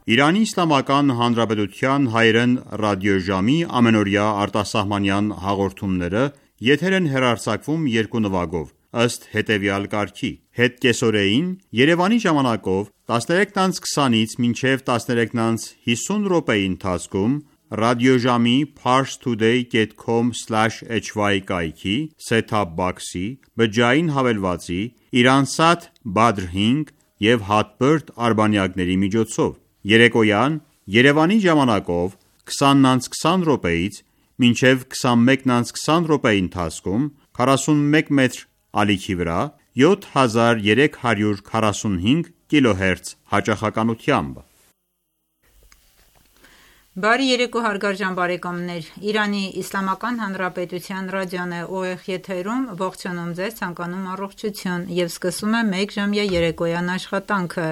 Իրանի Իսլամական Հանրապետության հայերեն ռադիոժամի ամենօրյա արտասահմանյան հաղորդումները եթեր են հեռարձակվում երկու նվագով, ըստ հետևյալ կարգի. Հետկեսօրեին Երևանի ժամանակով 13:20-ից մինչև 13:50 րոպեի ընթացքում ռադիոժամի parstoday.com/hy կայքի set-top box-ի, բջջային հավելվածի, Iransat Badr 5 և Hotbird արբանյակների միջոցով, երեկոյան Երևանի ժամանակով 20:20 րոպեից մինչև 21:20 րոպեի ընթացքում 41 մետր ալիքի վրա 7345 կիլոհերց հաճախականությամբ։ Բարի երեկո հարգարժան բարեկամներ, Իրանի Իսլամական Հանրապետության ռադիոն է ուղիղ եթերում, ողջունում ձեզ, ցանկանում առողջություն և սկսում է մեկ ժամյա երեկոյան աշխատանքը։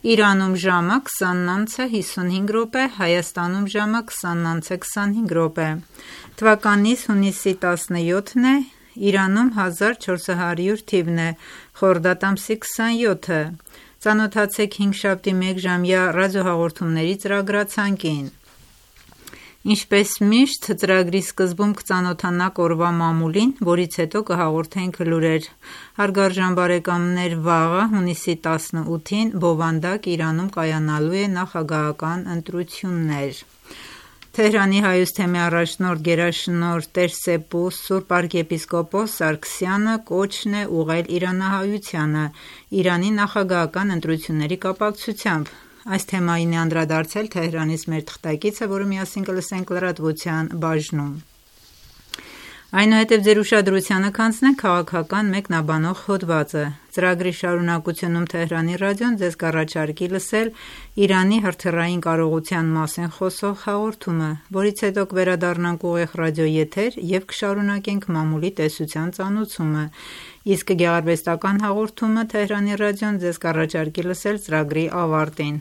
Իրանում ժամը 20:55 րոպե, Հայաստանում ժամը 20:25 րոպե։ Թվականից հունիսի 17-ն է, Իրանում 1400 թիվն է, խորդադ ամսի 27-ը։ Ծանոթացեք հինգշաբթի մեկ ժամյա ռադիոհաղորդումների ծրագրացանկին։ Ինչպես միշտ, ծրագրի սկզբում կծանոթանանք օրվա մամուլին, որից հետո կհաղորդենք լուրեր։ Հարգարժան բարեկամներ, վաղը հունիսի 18-ին բովանդակ Իրանում կայանալու է նախագահական ընտրություններ։ Թեհրանի հայոց թեմի առաջնորդ գերաշնորհ Տեր-Սեպու Սուրբ arքեպիսկոպոս Սարգսյանը կոչն է ուղղել իրանահայությանը Իրանի նախագահական ընտրությունների կապակցությամբ։ Այս թեմային է անդրադարձել Թեհրանից մեր թղթակիցը, որը միասին կլսենք լրատվության բաժնում։ Այնուհետև ձեր ուշադրությանը կանցնենք քաղաքական մեկնաբանող հոդվածը։ Ծրագրի շարունակությունում Թեհրանի ռադիոն ձեզ կառաջարկի լսել Իրանի հրթիռային կարողության մասին խոսող հաղորդումը, որից հետո կվերադառնանք ուղիղ ռադիոեթեր և կշարունակենք մամուլի տեսության ծանոթությունը, իսկ գեղարվեստական հաղորդումը Թեհրանի ռադիոն ձեզ կառաջարկի լսել ծրագրի ավարտին։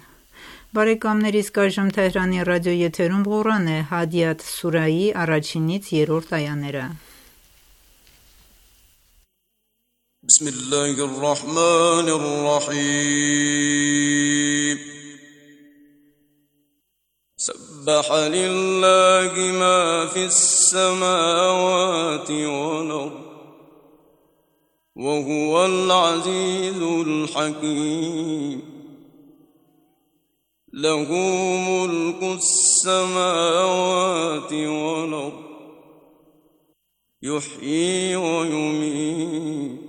Բարեկամներ, իսկ այժմ Թեհրանի ռադիոեթերում Ղուրան է, Հադիաթ սուրայի 1-ից 3-րդ այաները։ Բիսմիլլահիռռահմանիռռահիմ Սաբբահ լիլլահի մա ֆիսսամավաթի վալ-արդ վհուվալ ազիզուլ հակիմ له ملك السماوات والأرض يحيي ويميت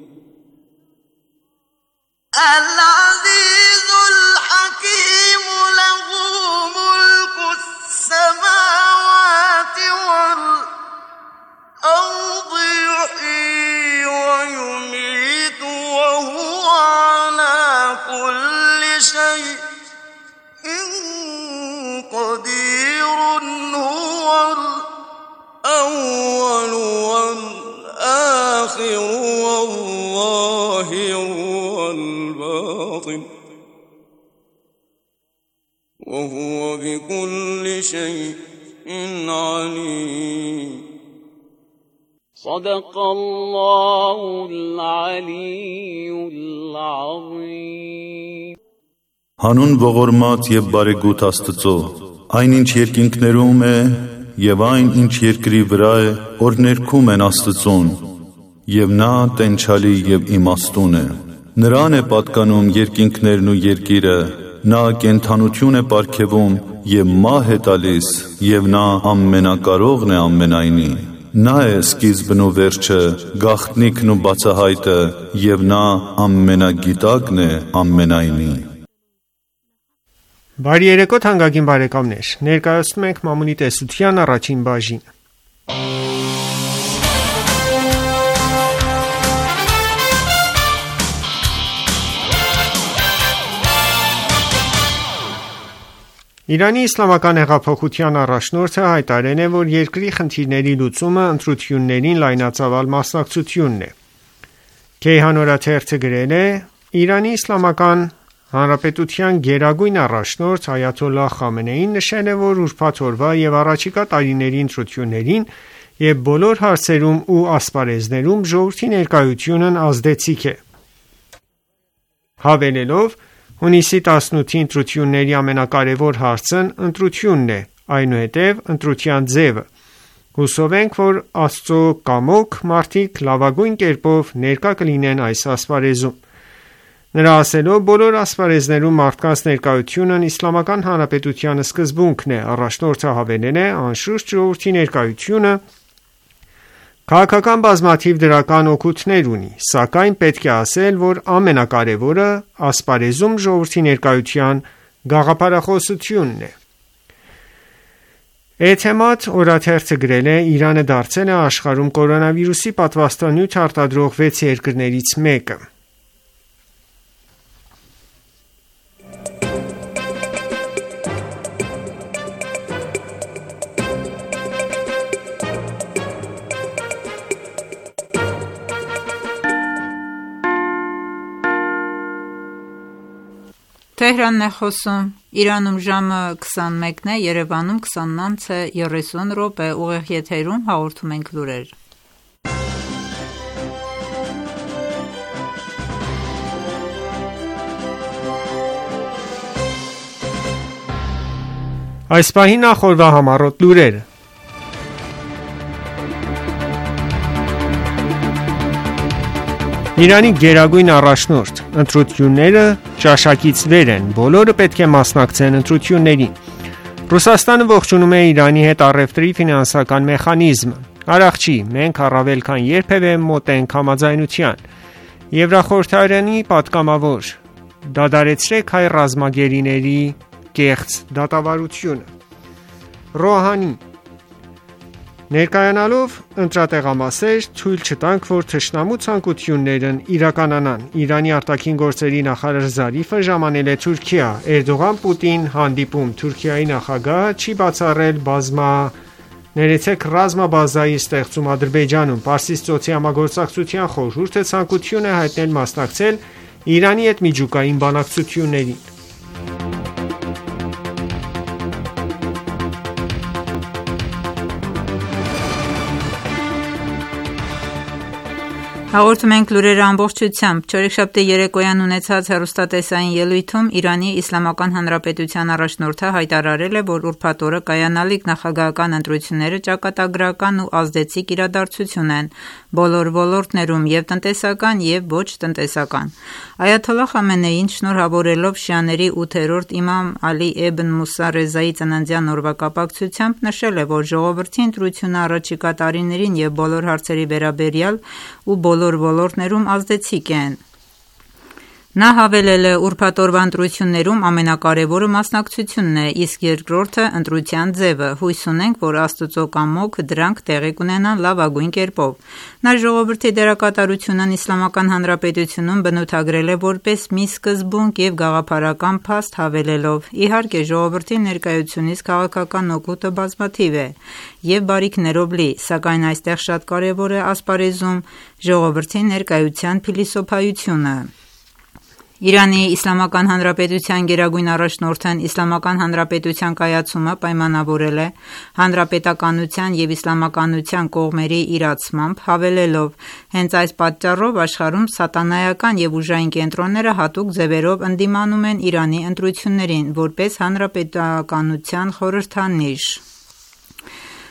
العزيز الحكيم له ملك السماوات والأرض يحيي ويميت وهو على كل شيء قدير هو الأول والآخر والظاهر والباطن وهو بكل شيء عليم صدق الله العلي العظيم Հանուն ողորմած և բարեգութ Աստծո, այն ինչ երկինքներում է և այն ինչ երկրի վրա է, որ ներքում են Աստծուն, և նա տենչալի և իմաստուն է։ Նրան է պատկանում երկինքներն ու երկիրը, նա կենդանություն է պարգևում և մահ է տալիս, և նա ամենակարողն է ամենայնի։ Նա է սկիզբն ու վերջը, գաղտնիքն ու բացահայտը, և նա ամենագիտակն է ամենայնի։ Բարի երեկո թանկագին բարեկամներ, ներկայացնում ենք մամուլի տեսության առաջին բաժինը։ Իրանի իսլամական հեղափոխության առաջնորդը հայտարարել է, որ երկրի խնդիրների լուծումը ընտրություններին լայնածավալ մասնակցությունն է։ Քեյհան օրաթերթը գրել է. Իրանի իսլամական Հանրապետության գերագույն առաջնորդ Այաթոլլահ Խամենեին նշել է, որ ուրբաթ օրվա և առաջիկա տարիների ընտրություններին և բոլոր հարցերում ու ասպարեզներում ժողովրդի ներկայությունն ազդեցիկ է, հավելելով, Հունիսի 18-ի ընտրությունների ամենակարևոր հարցն ընտրությունն է, այնուհետև ընտրության ձևը։ Հուսով ենք, որ Աստծո կամոք մարդիկ լավագույն կերպով ներկա կլինեն այս ասպարեզում։ Նրա ասելով, բոլոր ասպարեզներում մարդկանց ներկայությունն Իսլամական Հանրապետության սկզբունքն է, առաջնորդը հավելել է, անշուշտ ժողովրդի ներկայությունը քաղաքական բազմաթիվ դրական օգուտներ ունի, սակայն պետք է ասել, որ ամենակարևորը ասպարեզում ժողովրդի ներկայության գաղափարախոսությունն է։ Էթեմադ օրաթերթը գրել է. Իրանը դարձել է աշխարհում կորոնավիրուսի պատվաստանյութ արտադրող 6 երկրներից մեկը։ Թեհրանն է խոսում, Իրանում ժամը 21-ն է, Երևանում 20:30 ուղիղ եթերում հաղորդում ենք լուրեր։ Այս պահին նախորդ համառոտ լուրերը։ Իրանի գերագույն առաջնորդ, ընտրությունները ճաշակից վեր են, բոլորը պետք է մասնակցեն ընտրություններին։ Ռուսաստանը ողջունում է Իրանի հետ առևտրի ֆինանսական մեխանիզմը։ Արաղչի, մենք առավել քան երբևէ մոտ ենք համաձայնության։ Եվրախորհրդարանի պատգամավոր, դադարեցրեք հայ ռազմագերիների կեղծ դատավարությունը։ Ռոհանի, ներկայանալով ընտրատեղամասեր, թույլ չտանք, որ թշնամու ցանկություններն իրականանան։ Իրանի արտաքին գործերի նախարար Զարիֆը ժամանել է Թուրքիա։ Էրդողան-Պուտին հանդիպում, Թուրքիայի նախագահը չի բացառել ռազմաբազայի ստեղծում Ադրբեջանում։ Պարսից ծոցի համագործակցության խորհուրդը ցանկություն է հայտնել մասնակցել Իրանի հետ միջուկային բանակցություններին։ Հաղորդում ենք լուրերը ամբողջությամբ։ Չորեքշաբթի երեկոյան ունեցած հեռուստատեսային ելույթում Իրանի Իսլամական Հանրապետության առաջնորդը հայտարարել է, որ ուրբաթ օրը կայանալիք նախագահական ընտրությունները ճակատագրական ու ազդեցիկ իրադարձություն են բոլոր ոլորտներում, եւ տնտեսական եւ ոչ տնտեսական։ Այաթոլլահ Խամենեին շնորհավորելով շիաների 8-րդ իմամ Ալի Էբն Մուսա Ռեզայի ծննդյան օրվա կապակցությամբ նշել է, որ ժողովրդի ընտրությունը առաջիկա տարիներին եւ բոլոր հարցերի վերաբերյալ ու բոլոր ոլորտներում ազդեցիկ են։ Նա հավելել է, ուրբաթ օրվա ընտրություններում ամենակարևորը մասնակցությունն է, իսկ երկրորդը ընտրության ձևը։ Հույս ունենք, որ Աստծո կամոք դրանք տեղի կունենան լավագույն կերպով։ Նա ժողովրդի դերակատարությունն Իսլամական Հանրապետությունում բնութագրել է որպես մի սկզբունք եւ գաղափարական փաստ, հավելելով. Իհարկե, ժողովրդի ներկայությունից քաղաքական օգուտը բազմաթիվ է եւ բարիքներով լի, սակայն այստեղ շատ կարեւոր է ասպարեզում ժողովրդի ներկայության փիլիսոփայությունը։ Իրանի Իսլամական Հանրապետության գերագույն առաջնորդն Իսլամական Հանրապետության կայացումը պայմանավորել է հանրապետականության եւ իսլամականության կողմերի իրացմամբ, հավելելով. հենց այս պատճառով աշխարհում սատանայական եւ ուժային կենտրոնները հատուկ ձևերով ընդդիմանում են Իրանի ընտրություններին որպես հանրապետականության խորհրդանիշ։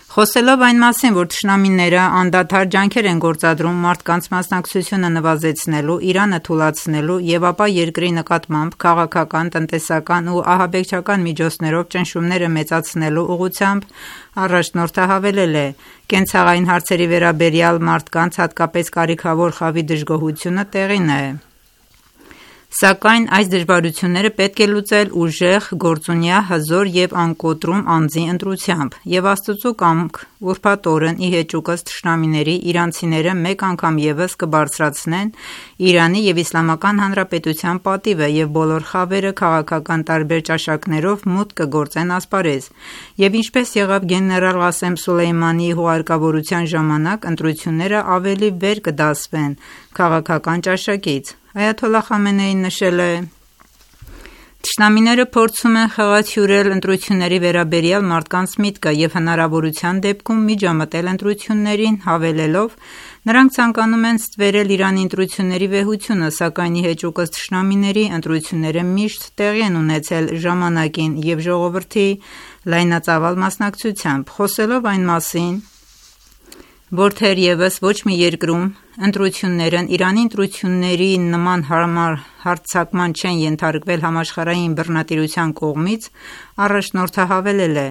Խոսելով այն մասին, որ թշնամիները անդադար ջանքեր են գործադրում մարդկանց մասնակցությունը նվազեցնելու, Իրանը թուլացնելու եւ ապա երկրի նկատմամբ քաղաքական, տնտեսական ու ահաբեկչական միջոցներով ճնշումները մեծացնելու ուղղությամբ, առաջնորդը հավելել է. կենցաղային հարցերի վերաբերյալ մարդկանց հատկապես կարիքավոր խավի դժգոհությունը տեղին է։ Սակայն այս դժվարությունները պետք է լուծել ուժեղ, գործունյա, հզոր եւ անկոտրում անձի ընտրությամբ, եւ Աստծո կամք ուրբաթ օրն ի հեճուկս թշնամիների իրանցիները մեկ անգամ եւս կբարձրացնեն Իրանի եւ Իսլամական Հանրապետության պատիվը եւ բոլոր խավերը քաղաքական տարբեր ճաշակներով մուտք կգործեն ասպարեզ։ Եվ ինչպես եղավ գեներալ Ղասեմ Սուլեյմանի հուղարկավորության ժամանակ, ընտրությունները ավելի վեր կդասվեն քաղաքական ճաշակից։ Այաթոլլահ Խամենեին նշել է. Թշնամիները փորձում են խեղաթյուրել ընտրությունների վերաբերյալ մարդկանց միտքը եւ հնարավորության դեպքում միջամտել ընտրություններին, հավելելով. Նրանք ցանկանում են ստվերել Իրանի ընտրությունների վեհությունը, սակայն ի հեճուկս թշնամիների ընտրությունները միշտ տեղի են ունեցել ժամանակին և ժողովրդի լայնածավալ մասնակցությամբ։ Խոսելով այն մասին, որ թերևս ոչ մի երկրում ընտրություններն Իրանի ընտրությունների նման հարմար հարձակման չեն ենթարկվել համաշխարհային բռնատիրության կողմից, առաջնորդը հավելել է.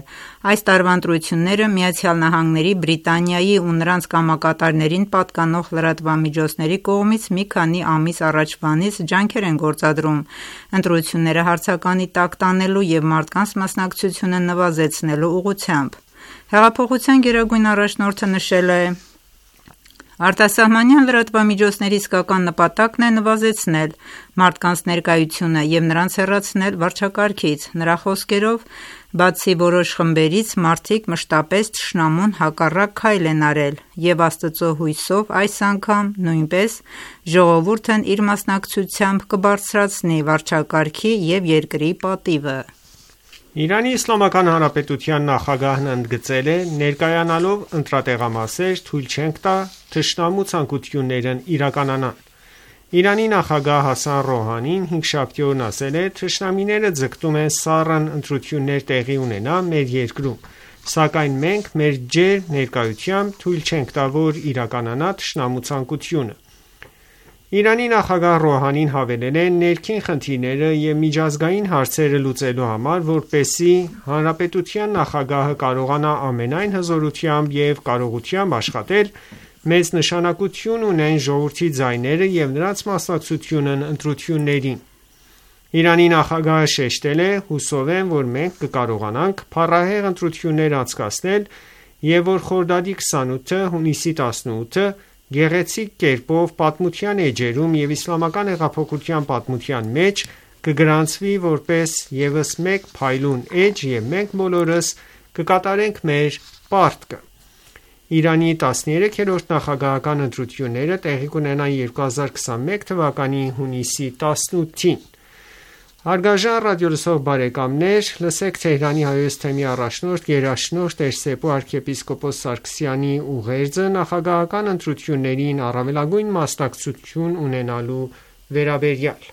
«Այս տարվա ընտրությունները ԱՄՆ-ի, Բրիտանիայի ու նրանց կամակատարներին պատկանող լրատվամիջոցների կողմից մի քանի ամիս առաջվանից ջանքեր են գործադրում ընտրությունները հարցականի տակ տանելու և մարդկանց մասնակցությունը նվազեցնելու ուղղությամբ»։ Հեղափոխության գերագույն առաջնորդը նշել է. «Արտասահմանյան լրատվամիջոցների իսկական նպատակն է նվազեցնել մարդկանց ներկայությունը և նրանց հեռացնել վարչակարգից»։ Նրա խոսքերով, բացի որոշ խմբերից, մարդիկ մշտապես թշնամուն հակառակ քայլ են արել, և Աստծո հույսով այս անգամ նույնպես ժողովուրդն իր մասնակցությամբ կբարձրացնի վարչակարգի և երկրի պատիվը։ Իրանի Իսլամական Հանրապետության նախագահն ընդգծել է. «Ներկայանալով ընտրատեղամասեր, թույլ չենք տա թշնամու ցանկություններն իրականանան»։ Իրանի նախագահ Հասան Ռոհանին հինգշաբթի օրն ասել է. «Թշնամիները ձգտում են սառն ընտրություններ տեղի ունենա մեր երկրում, սակայն մենք մեր ջերմ ներկայությամբ թույլ չենք տա, որ իրականանա թշնամու ցանկությունը»։ Իրանի նախագահ Ռոհանին հավելել է. «Ներքին խնդիրները և միջազգային հարցերը լուծելու համար, որպեսզի հանրապետության նախագահը կարողանա ամենայն հզորությամբ և կարողությամբ աշխատել, մեծ նշանակություն ունեն ժողովրդի ձայները և նրանց մասնակցությունն ընտրություններին»։ Իրանի նախագահը շեշտել է. «Հուսով եմ, որ մենք կկարողանանք փառահեղ ընտրություններ անցկացնել և որ Խորդադի 28-ը, հունիսի 18-ը գեղեցիկ կերպով պատմության էջերում և իսլամական հեղափոխության պատմության մեջ կգրանցվի որպես ևս մեկ փայլուն էջ և մենք բոլորս կկատարենք մեր պարտքը»։ Իրանի 13-րդ նախագահական ընտրությունները տեղի կունենան 2021 թվականի հունիսի 18-ին։ Հարգարժան ռադիոլսող բարեկամներ, լսենք Թեհրանի հայոց թեմի առաջնորդ գերաշնորհ Տեր-Սեփու arczepiskopos Սարգսյանի ուղերձը նախագահական ընտրություններին առավելագույն մասնակցություն ունենալու վերաբերյալ։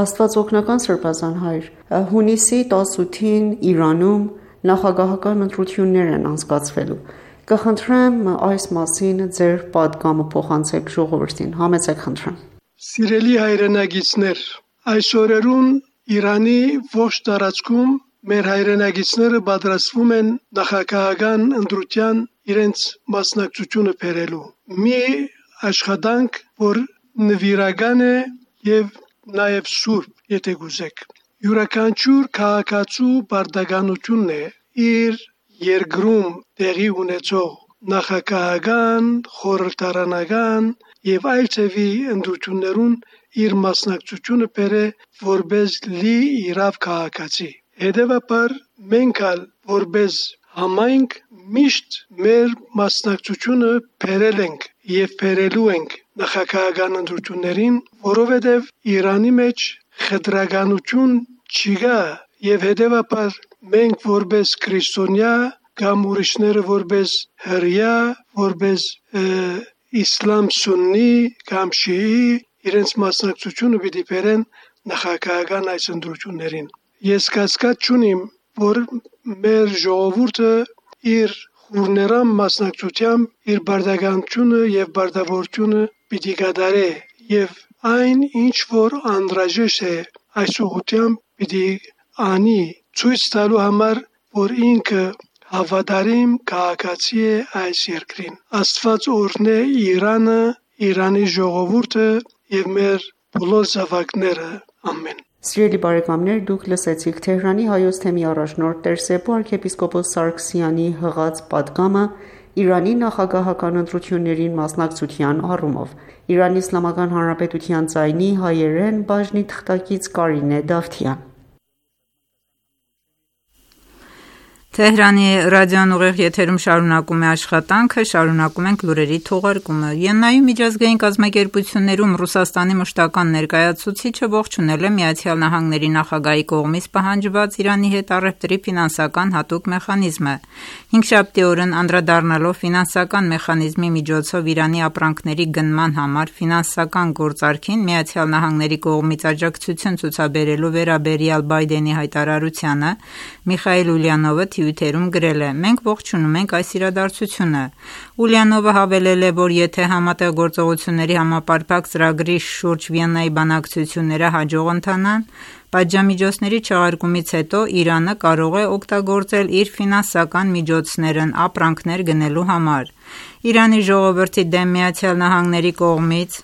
Աստվածօգնական Սրբազան հայր, հունիսի 18-ին Իրանում նախագահական ընտրություններ են անցկացվելու։ Կխնդրեմ այս մասին ձեր պատգամը փոխանցեք ժողովրդին։ Համեցեք խնդրեմ։ Սիրելի հայրենակիցներ, այս օրերուն Իրանի ողջ տարածքում մեր հայրենակիցները պատրաստվում են նախագահական ընտրության իրենց մասնակցությունը բերելու։ Մի աշխատանք, որ նվիրական է եւ նաեւ սուրբ, եթե գուզեք։ Յուրաքանչյուր քաղաքացու պարտականությունն է իր երկրում տեղի ունեցող նախագահական, խորհրդարանական եւ այլ ծևի ընտրություններուն իր մասնակցությունը բերե որպես լի իրավ քաղաքացի։ Հետևաբար մենք ալ որպես համայնք միշտ մեր մասնակցությունը բերել ենք եւ բերելու ենք նախագահական ընտրություններին, որովհետեւ Իրանի մեջ խտրականություն չկա եւ հետևաբար մենք որպես քրիստոնյա կամ ուրիշները որպես հրյա, որպես իսլամ սուննի կամ շիի իրենց մասնակցությունը պիտի բերեն նախագահական այս ընտրություններին։ Ես կասկած չունիմ, որ մեր ժողովուրդը իր խորներամ մասնակցությամբ իր բարդականությունը եւ բարդավորությունը պիտի կատարե եւ այն ինչ որ անհրաժեշտ է այս ուղղությամբ պիտի անի ցույց տալու համար, որ ինքը հավատարիմ քաղաքացի է այս երկրին։ Աստված օրհնե Իրանը, Իրանի ժողովուրդը եւ մեր բոլոր զավակները։ Ամեն։ Սիրելի բարեկամներ, դուք լսեցիք Թեհրանի հայոց թեմի առաջնորդ Տեր-Սեփու arczepiskopos Սարգսյանի հղած պատգամը Իրանի նախագահական ընտրություններին մասնակցության առումով։ Իրանի Իսլամական Հանրապետության ձայնի հայերեն բաժնի թղթակից Կարինե Դավթյան։ Թեհրանի ռադիոն ուղիղ եթերում շարունակում է աշխատանքը, շարունակում ենք լուրերի թողարկումը։ Վիեննայում միջազգային կազմակերպություններում Ռուսաստանի մշտական ներկայացուցիչը ողջունել է ԱՄՆ նախագահի կողմից պահանջված Իրանի հետ առևտրի ֆինանսական հատուկ մեխանիզմը։ Հինգշաբթի օրն անդրադառնալով ֆինանսական մեխանիզմի միջոցով Իրանի ապրանքների գնման համար ֆինանսական գործարքին ԱՄՆ կողմից աջակցություն ցուցաբերելու վերաբերյալ Բայդենի հայտարարությանը, Միխայիլ Ուլյանովը Twitter-ում գրել է. «Մենք ողջունում ենք այս իրադարձությունը»։ Ուլյանովը հավելել է, որ եթե Համատեղ գործողությունների համապարփակ ծրագրի շուրջ Վիեննայի բանակցությունները հաջող ընթանան, պատժամիջոցների չեղարկումից հետո Իրանը կարող է օգտագործել իր ֆինանսական միջոցներն ապրանքներ գնելու համար։ Իրանի ժողովրդի դեմ ԱՄՆ կողմից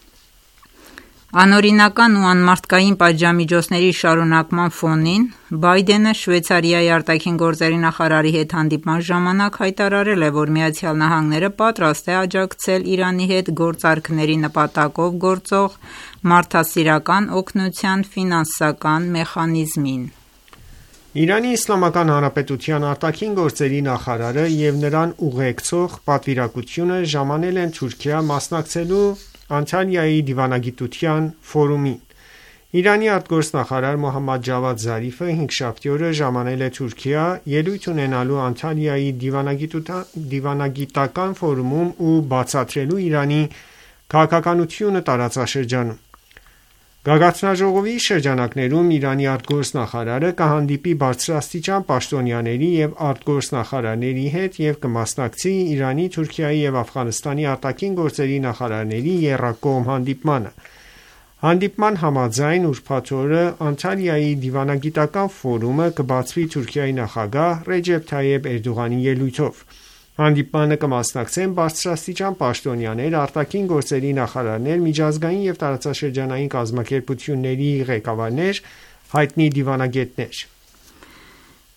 անօրինական ու անմարդկային պատժամիջոցների շարունակման ֆոնին Բայդենը Շվեյցարիայի արտաքին գործերի նախարարի հետ հանդիպման ժամանակ հայտարարել է, որ ԱՄՆ պատրաստ է աջակցել Իրանի հետ գործարքների նպատակով գործող մարդասիրական օգնության ֆինանսական մեխանիզմին։ Իրանի Իսլամական Հանրապետության արտաքին գործերի նախարարը եւ նրան ուղեկցող պատվիրակությունը ժամանել են Թուրքիա մասնակցելու Անտալիայի դիվանագիտության ֆորումին։ Իրանի արտգործնախարար Մոհամմադ Ջավադ Զարիֆը հինգշաբթի օրը ժամանել է Թուրքիա ելույթ ունենալու Անտալիայի դիվանագիտական ֆորումում ու բացատրելու Իրանի քաղաքականությունը տարածաշրջանում։ Գագաթնաժողովի շրջանակներում Իրանի արտգործնախարարը կհանդիպի բարձրաստիճան պաշտոնյաների եւ արտգործնախարարների հետ եւ կմասնակցի Իրանի, Թուրքիայի եւ Աֆղանստանի արտաքին գործերի նախարարների եռակողմ հանդիպմանը։ Հանդիպման համաձայն ուրբաթ օրը Անտալիայի դիվանագիտական ֆորումը կբացվի Թուրքիայի նախագահ Ռեջեփ Թայեփ Էրդողանի ելույթով։ Հանդիպմանը կմասնակցեն բարձրաստիճան պաշտոնյաներ, արտաքին գործերի նախարարներ, միջազգային եւ տարածաշրջանային կազմակերպությունների ղեկավարներ, հայտնի դիվանագետներ։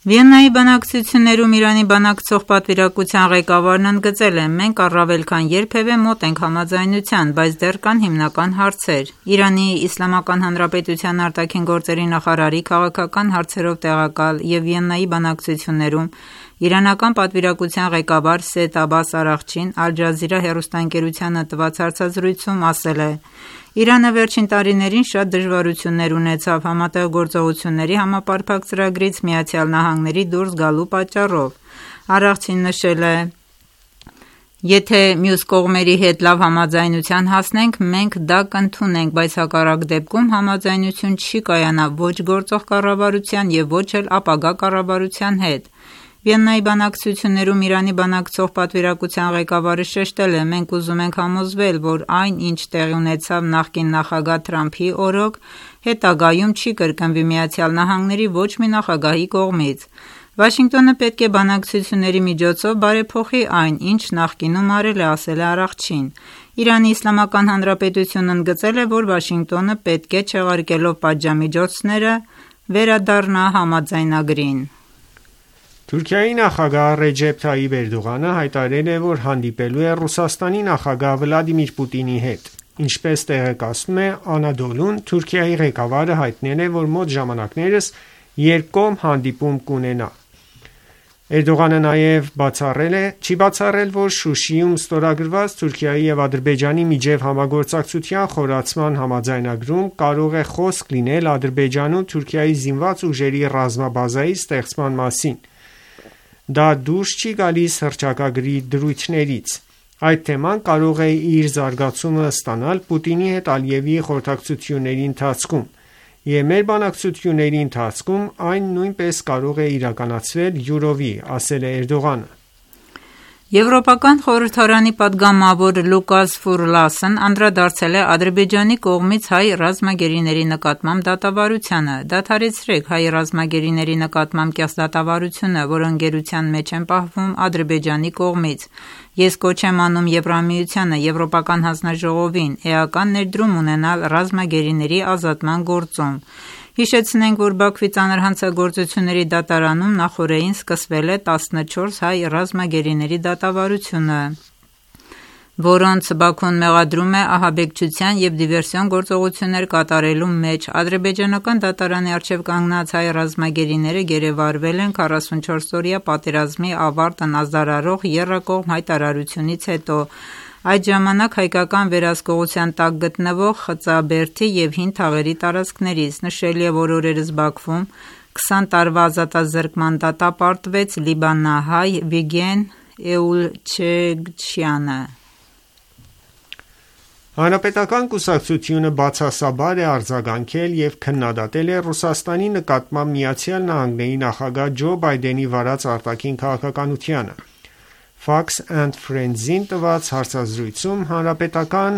Վիեննայի բանակցություններում Իրանի բանակցող պատվիրակության ղեկավարն ընդգծել է. «Մենք առավել քան երբևէ մոտ ենք համաձայնության, բայց դեռ կան հիմնական հարցեր»։ Իրանի Իսլամական Հանրապետության արտաքին գործերի նախարարի քաղաքական հարցերով տեղակալ եւ Վիեննայի բանակցություններում իրանական պատվիրակության ղեկավար Սեյեդ Աբբաս Արաղչին Ալ Ջազիրա հեռուստաընկերությանը տված հարցազրույցում ասել է. «Իրանը վերջին տարիներին շատ դժվարություններ ունեցավ Համատեղ գործողությունների համապարփակ ծրագրից ԱՄՆ դուրս գալու պատճառով»։ Արաղչին նշել է. «Եթե մյուս կողմերի հետ լավ համաձայնության հասնենք, մենք դա կընդունենք, բայց հակառակ դեպքում համաձայնություն չի կայանա ոչ գործող կառավարության եւ ոչ էլ ապագա կառավարության հետ»։ Վիեննայի բանակցություններում Իրանի բանակցող պատվիրակության ղեկավարը շեշտել է. «Մենք ուզում ենք համոզվել, որ այն, ինչ տեղի ունեցավ նախկին նախագահ Թրամփի օրոք, հետագայում չի կրկնվի ԱՄՆ ոչ մի նախագահի կողմից։ Վաշինգտոնը պետք է բանակցությունների միջոցով բարեփոխի այն, ինչ նախկինում արել է», ասել է Արաղչին։ Իրանի Իսլամական Հանրապետությունն ընդգծել է, որ Վաշինգտոնը պետք է չեղարկելով պատժամիջոցները վերադառնա համաձայնագրին։ Թուրքիայի նախագահ Ռեջեփ Թայիփ Էրդողանը հայտարարել է, որ հանդիպելու է Ռուսաստանի նախագահ Վլադիմիր Պուտինի հետ։ Ինչպես տեղեկացնում է Անադոլուն, Թուրքիայի ղեկավարը հայտնել է, որ մոտ ժամանակներս երկկողմ հանդիպում կունենա։ Էրդողանը նաև չի բացառել, որ Շուշիում ստորագրված Թուրքիայի եւ Ադրբեջանի միջև համագործակցության խորացման համաձայնագրում կարող է խոսք լինել Ադրբեջանում Թուրքիայի զինված ուժերի ռազմաբազայի ստեղծման մասին։ Դա դուրս չի գալիս հռչակագրի դրույթներից։ Այդ թեման կարող է իր զարգացումը ստանալ Պուտինի հետ Ալիևի խորհրդակցությունների ընթացքում, եւ մեր բանակցությունների ընթացքում այն նույնպես կարող է իրականացվել յուրովի, ասել է Էրդողանը։ Եվրոպական խորհրդարանի պատգամավոր Լուկաս Ֆուրլասն անդրադարձել է Ադրբեջանի կողմից հայ ռազմագերիների նկատմամբ դատավարությանը։ «Դադարեցրեք հայ ռազմագերիների նկատմամբ կեղծ դատավարությունը, որ ընկերության մեջ են պահվում Ադրբեջանի կողմից։ Ես կոչ եմ անում Եվրամիությանը, Եվրոպական հանձնաժողովին էական ներդրում ունենալ ռազմագերիների ազատման գործում։ Հիշեցնենք, որ Բաքվի ծանր հանցագործությունների դատարանում նախօրեին սկսվել է 14 հայ ռազմագերիների դատավարությունը»։ որոնց Բաքուն մեղադրում է ահաբեկչության և դիվերսիոն գործողություններ կատարելու մեջ։ Ադրբեջանական դատարանի առջև կանգնած հայ ռազմագերիները գերեվարվել են 44-օրյա պատերազմի ավարտն ազդարարող եռակողմ հայտարարությունից հետո։ Այդ ժամանակ հայկական վերահսկողության տակ գտնվող Խծաբերդի և Հին Թաղերի տարածքներից։ Նշելի է, որ օրերս Բաքվում 20 տարվա ազատազրկման դատապարտվեց լիբանանահայ Վիգեն Էուլչեգչյանը։ Հանրապետական կուսակցությունը բացասաբար է արձագանքել և քննադատել է Ռուսաստանի նկատմամբ ԱՄՆ նախագահ Ջո Բայդենի վարած արտաքին քաղաքականությանը։ Fox and Friends-ին տված հարցազրույցում հանրապետական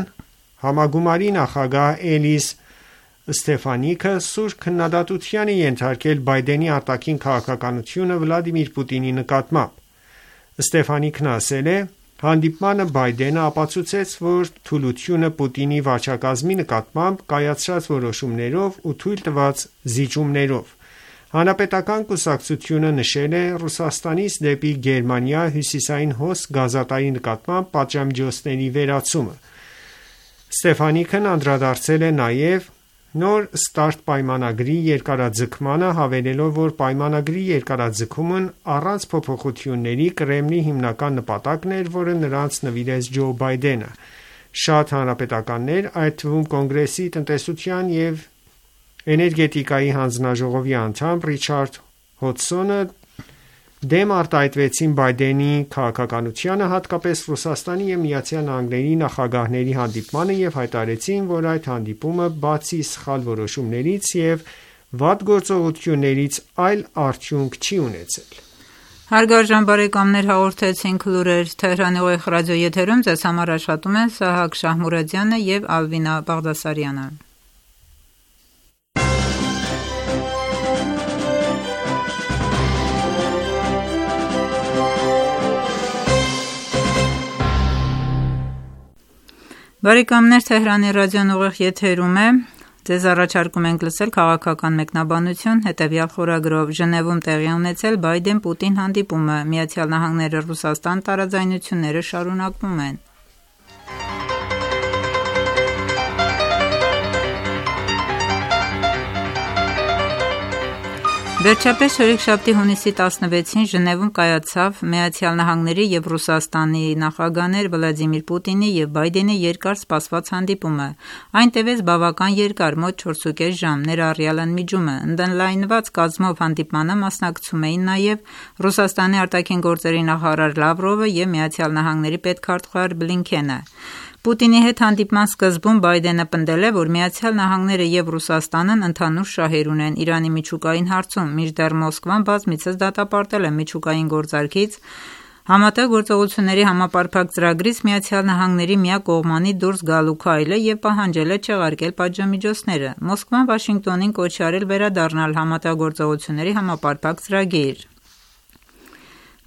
համագումարի նախագահ Էլիս Ստեֆանիկը սուր քննադատության է ենթարկել Բայդենի արտաքին քաղաքականությունը Վլադիմիր Պուտինի նկատմամբ։ Ստեֆանիկն ասել է. Հանդիպմանը Բայդենը ապացուցեց, որ թուլությունը Պուտինի վարչակազմի նկատմամբ կայացրած որոշումներով ու թույլ տված զիջումներով։ Հանրապետական կուսակցությունը նշել է Ռուսաստանից դեպի Գերմանիա հյուսիսային հոսք գազատարի նկատմամբ պատժամիջոցների վերացումը։ Ստեֆանիկն անդրադարձել է նաև նոր START պայմանագրի երկարաձգմանը, հավելելով, որ պայմանագրի երկարաձգումն առանց փոփոխությունների Կրեմլի հիմնական նպատակն էր, որը նրանց նվիրեց Ջո Բայդենը։ Շատ հանրապետականներ, այդ թվում Կոնգրեսի տնտեսության և էներգետիկայի հանձնաժողովի անդամ Ռիչարդ Հոդսոնը դեմ արտահայտվեցին Բայդենի քաղաքականությանը, հատկապես Ռուսաստանի և ԱՄՆ նախագահների հանդիպմանը և հայտարարեցին, որ այդ հանդիպումը բացի սխալ որոշումներից և վատ գործողություններից այլ արդյունք չի ունեցել։ Հարգարժան բարեկամներ, հաղորդեցինք լուրեր Թեհրանի ուղիղ ռադիոեթերում ձեզ համար աշխատում են Սահակ Շահմուրադյանը և Ալվինա Բաղդասարյանը։ Բարեկամներ, Թեհրանի ռադիոն ուղիղ եթերում է։ Ձեզ առաջարկում ենք լսել քաղաքական մեկնաբանություն հետևյալ խորագրով։ Ժնևում տեղի ունեցել Բայդեն-Պուտին հանդիպումը, ԱՄՆ-ը Ռուսաստան տարաձայնությունները շարունակվում են։ Վերջապես չորեքշաբթի հունիսի 16-ին Ժնևում կայացավ ԱՄՆ-ի և Ռուսաստանի նախագահներ Վլադիմիր Պուտինի և Բայդենի երկար սպասված հանդիպումը։ Այն տևեց բավական երկար, մոտ 4.5 ժամ, ներառյալ ընդմիջումը։ Ընդլայնված կազմով հանդիպմանը մասնակցում էին նաև Ռուսաստանի արտաքին գործերի նախարար Լավրովը և ԱՄՆ-ի պետքարտուղար Բլինքենը։ Պուտինի հետ հանդիպման սկզբում Բայդենը պնդել է, որ ԱՄՆ-ը և Ռուսաստանն ընդհանուր շահեր ունեն Իրանի միջուկային հարցում, մինչդեռ Մոսկվան բազմիցս դատապարտել է միջուկային գործարքից Համատեղ գործողությունների համապարփակ ծրագրից ԱՄՆ-ի միակողմանի դուրս գալու քայլը և պահանջել է չեղարկել պատժամիջոցները։ Մոսկվան Վաշինգտոնին կոչ է արել վերադառնալ Համատեղ գործողությունների համապարփակ ծրագիր։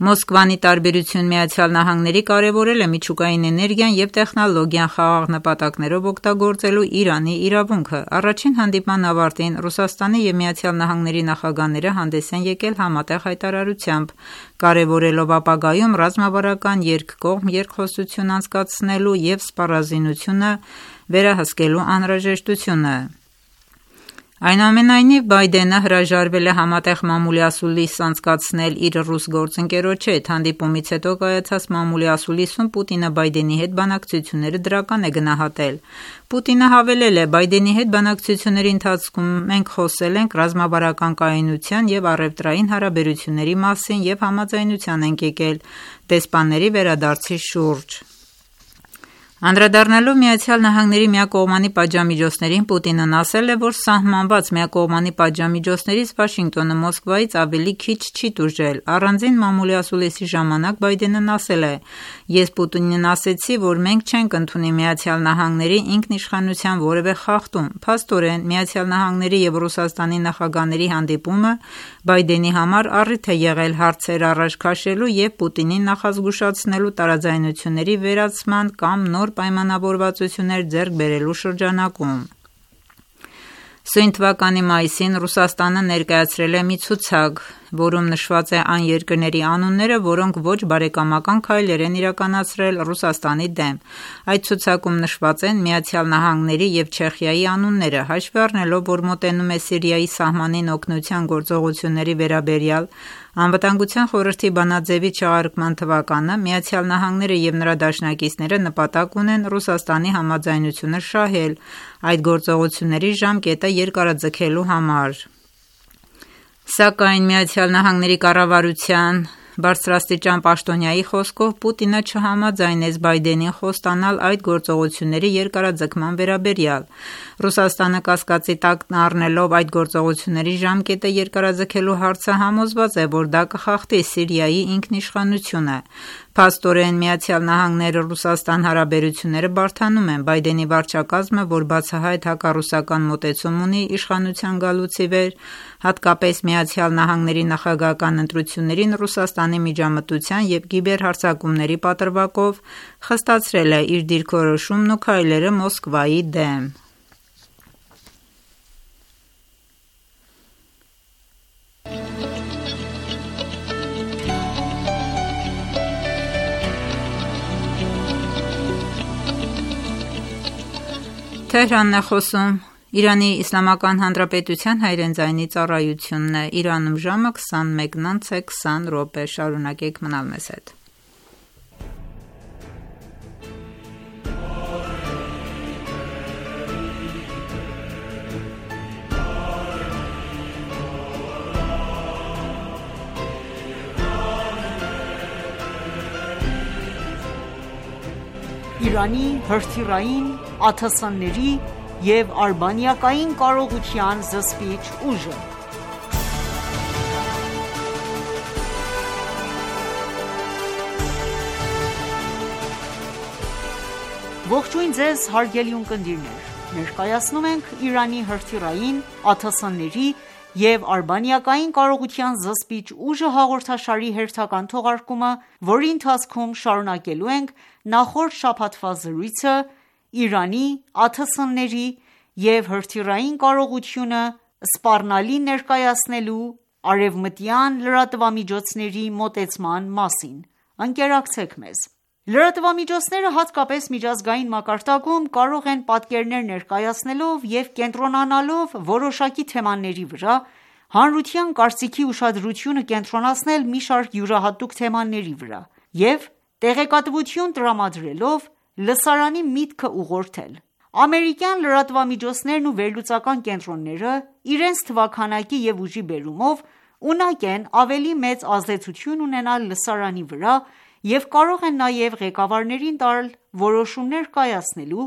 Մոսկվան, ի տարբերություն ԱՄՆ-ի, կարևորել է միջուկային էներգիան և տեխնոլոգիան խաղաղ նպատակներով օգտագործելու Իրանի իրավունքը։ Առաջին հանդիպման ավարտին Ռուսաստանի և ԱՄՆ-ի նախագահները հանդես են եկել համատեղ հայտարարությամբ, կարևորելով ապագայում ռազմավարական երկկողմ երկխոսություն անցկացնելու և սպառազինությունը վերահսկելու անհրաժեշտությունը։ Այնուամենայնիվ, Բայդենը հրաժարվել է համատեղ մամուլի ասուլիս անցկացնել իր ռուս գործընկերոջ հետ։ Հանդիպումից հետո կայացած մամուլի ասուլիսում Պուտինը Բայդենի հետ բանակցությունները դրական է գնահատել։ Պուտինը հավելել է. Բայդենի հետ բանակցությունների ընթացքում մենք խոսել ենք ռազմավարական կայունության և առևտրային հարաբերությունների մասին և համաձայնության ենք եկել դեսպանների վերադարձի շուրջ։ Անդրադառնալով ԱՄՆ-ի միակողմանի պատժամիջոցներին, Պուտինն ասել է, որ սահմանված միակողմանի պատժամիջոցներից Վաշինգտոնը Մոսկվայից ավելի քիչ չի տուժել։ Առանձին մամուլի ասուլիսի ժամանակ Բայդենն ասել է. Ես Պուտինին ասեցի, որ մենք չենք ընդունի ԱՄՆ-ի ինքնիշխանության որևէ խախտում։ Փաստորեն, ԱՄՆ-ի և Ռուսաստանի նախագահների հանդիպումը Բայդենի համար առիթ է եղել հարցեր առաջ քաշելու և Պուտինին նախազգուշացնելու տարաձայնությունների վերացման կամ նոր պայմանավորվածություններ ձեռք բերելու շրջանակում։ Սույն թվականի մայիսին Ռուսաստանը ներկայացրել է մի ցուցակ, որում նշված է այն երկրների անունները, որոնք ոչ բարեկամական քայլեր են իրականացրել Ռուսաստանի դեմ։ Այդ ցուցակում նշված են ԱՄՆ-ի և Չեխիայի անունները, հաշվի առնելով, որ մոտենում է Սիրիայի սահմանին օգնության գործողությունների վերաբերյալ Անվտանգության խորհրդի բանաձևի չեղարկման թվականը, ԱՄՆ-ն և նրա դաշնակիցները նպատակ ունեն Ռուսաստանի համաձայնությունը շահել այդ գործողությունների ժամկետը երկարաձգելու համար։ Սակայն ԱՄՆ կառավարության բարձրաստիճան պաշտոնյայի խոսքով Պուտինը չհամաձայնեց Բայդենին խոստանալ այդ գործողությունների երկարաձգման վերաբերյալ։ Ռուսաստանը կասկածի տակ առնելով այդ գործողությունների ժամկետը երկարաձգելու հարցը համոզված է, որ դա կխախտի Սիրիայի ինքնիշխանությունը։ Փաստորեն ԱՄՆ-ն Ռուսաստան հարաբերությունները բարդանում են։ Բայդենի վարչակազմը, որ բացահայտ հակառուսական մոտեցում ունի իշխանության գալուց ի վեր, հատկապես ԱՄՆ նախագահական ընտրություններին Ռուսաստանի միջամտության և կիբերհարձակումների պատրվակով, խստացրել է իր դիրքորոշումն ու քայլերը Մոսկվայի դեմ։ Թեհրանն է խոսում Իրանի Իսլամական Հանրապետության հայրենիծայնի ծառայությունն է, Իրանում ժամը 21:20 շարունակեք մնալ մեզ հետ։ Իրանի հրթիռային, ԱԹՍ-ների և արբանյակային կարողության զսպիչ ուժը։ Ողջույն ձեզ հարգելի ունկնդիրներ, ներկայացնում ենք Իրանի հրթիռային, ԱԹՍ-ների և արբանյակային կարողության զսպիչ ուժը հաղորդաշարի հերթական թողարկումը, որի ընթացքում շարունակելու ենք նախորդ շաբաթվա զրույցը Իրանի ԱԹՍ-ների և հրթիռային կարողությունը սպառնալի ներկայացնելու արևմտյան լրատվամիջոցների մոտեցման մասին։ Ընկերակցեք մեզ։ Լրատվամիջոցները, հատկապես միջազգային մակարդակում, կարող են պատկերներ ներկայացնելով և կենտրոնանալով որոշակի թեմաների վրա, հանրության կարծիքի ուշադրությունը կենտրոնացնել մի շարք յուրահատուկ թեմաների վրա և տեղեկատվություն տրամադրելով լսարանի միտքը ուղղորդել։ Ամերիկյան լրատվամիջոցներն ու վերլուծական կենտրոնները իրենց թվաքանակի և ուժի բերումով ունակ են ավելի մեծ ազդեցություն ունենալ լսարանի վրա և կարող են նաև ղեկավարներին տալ որոշումներ կայացնելու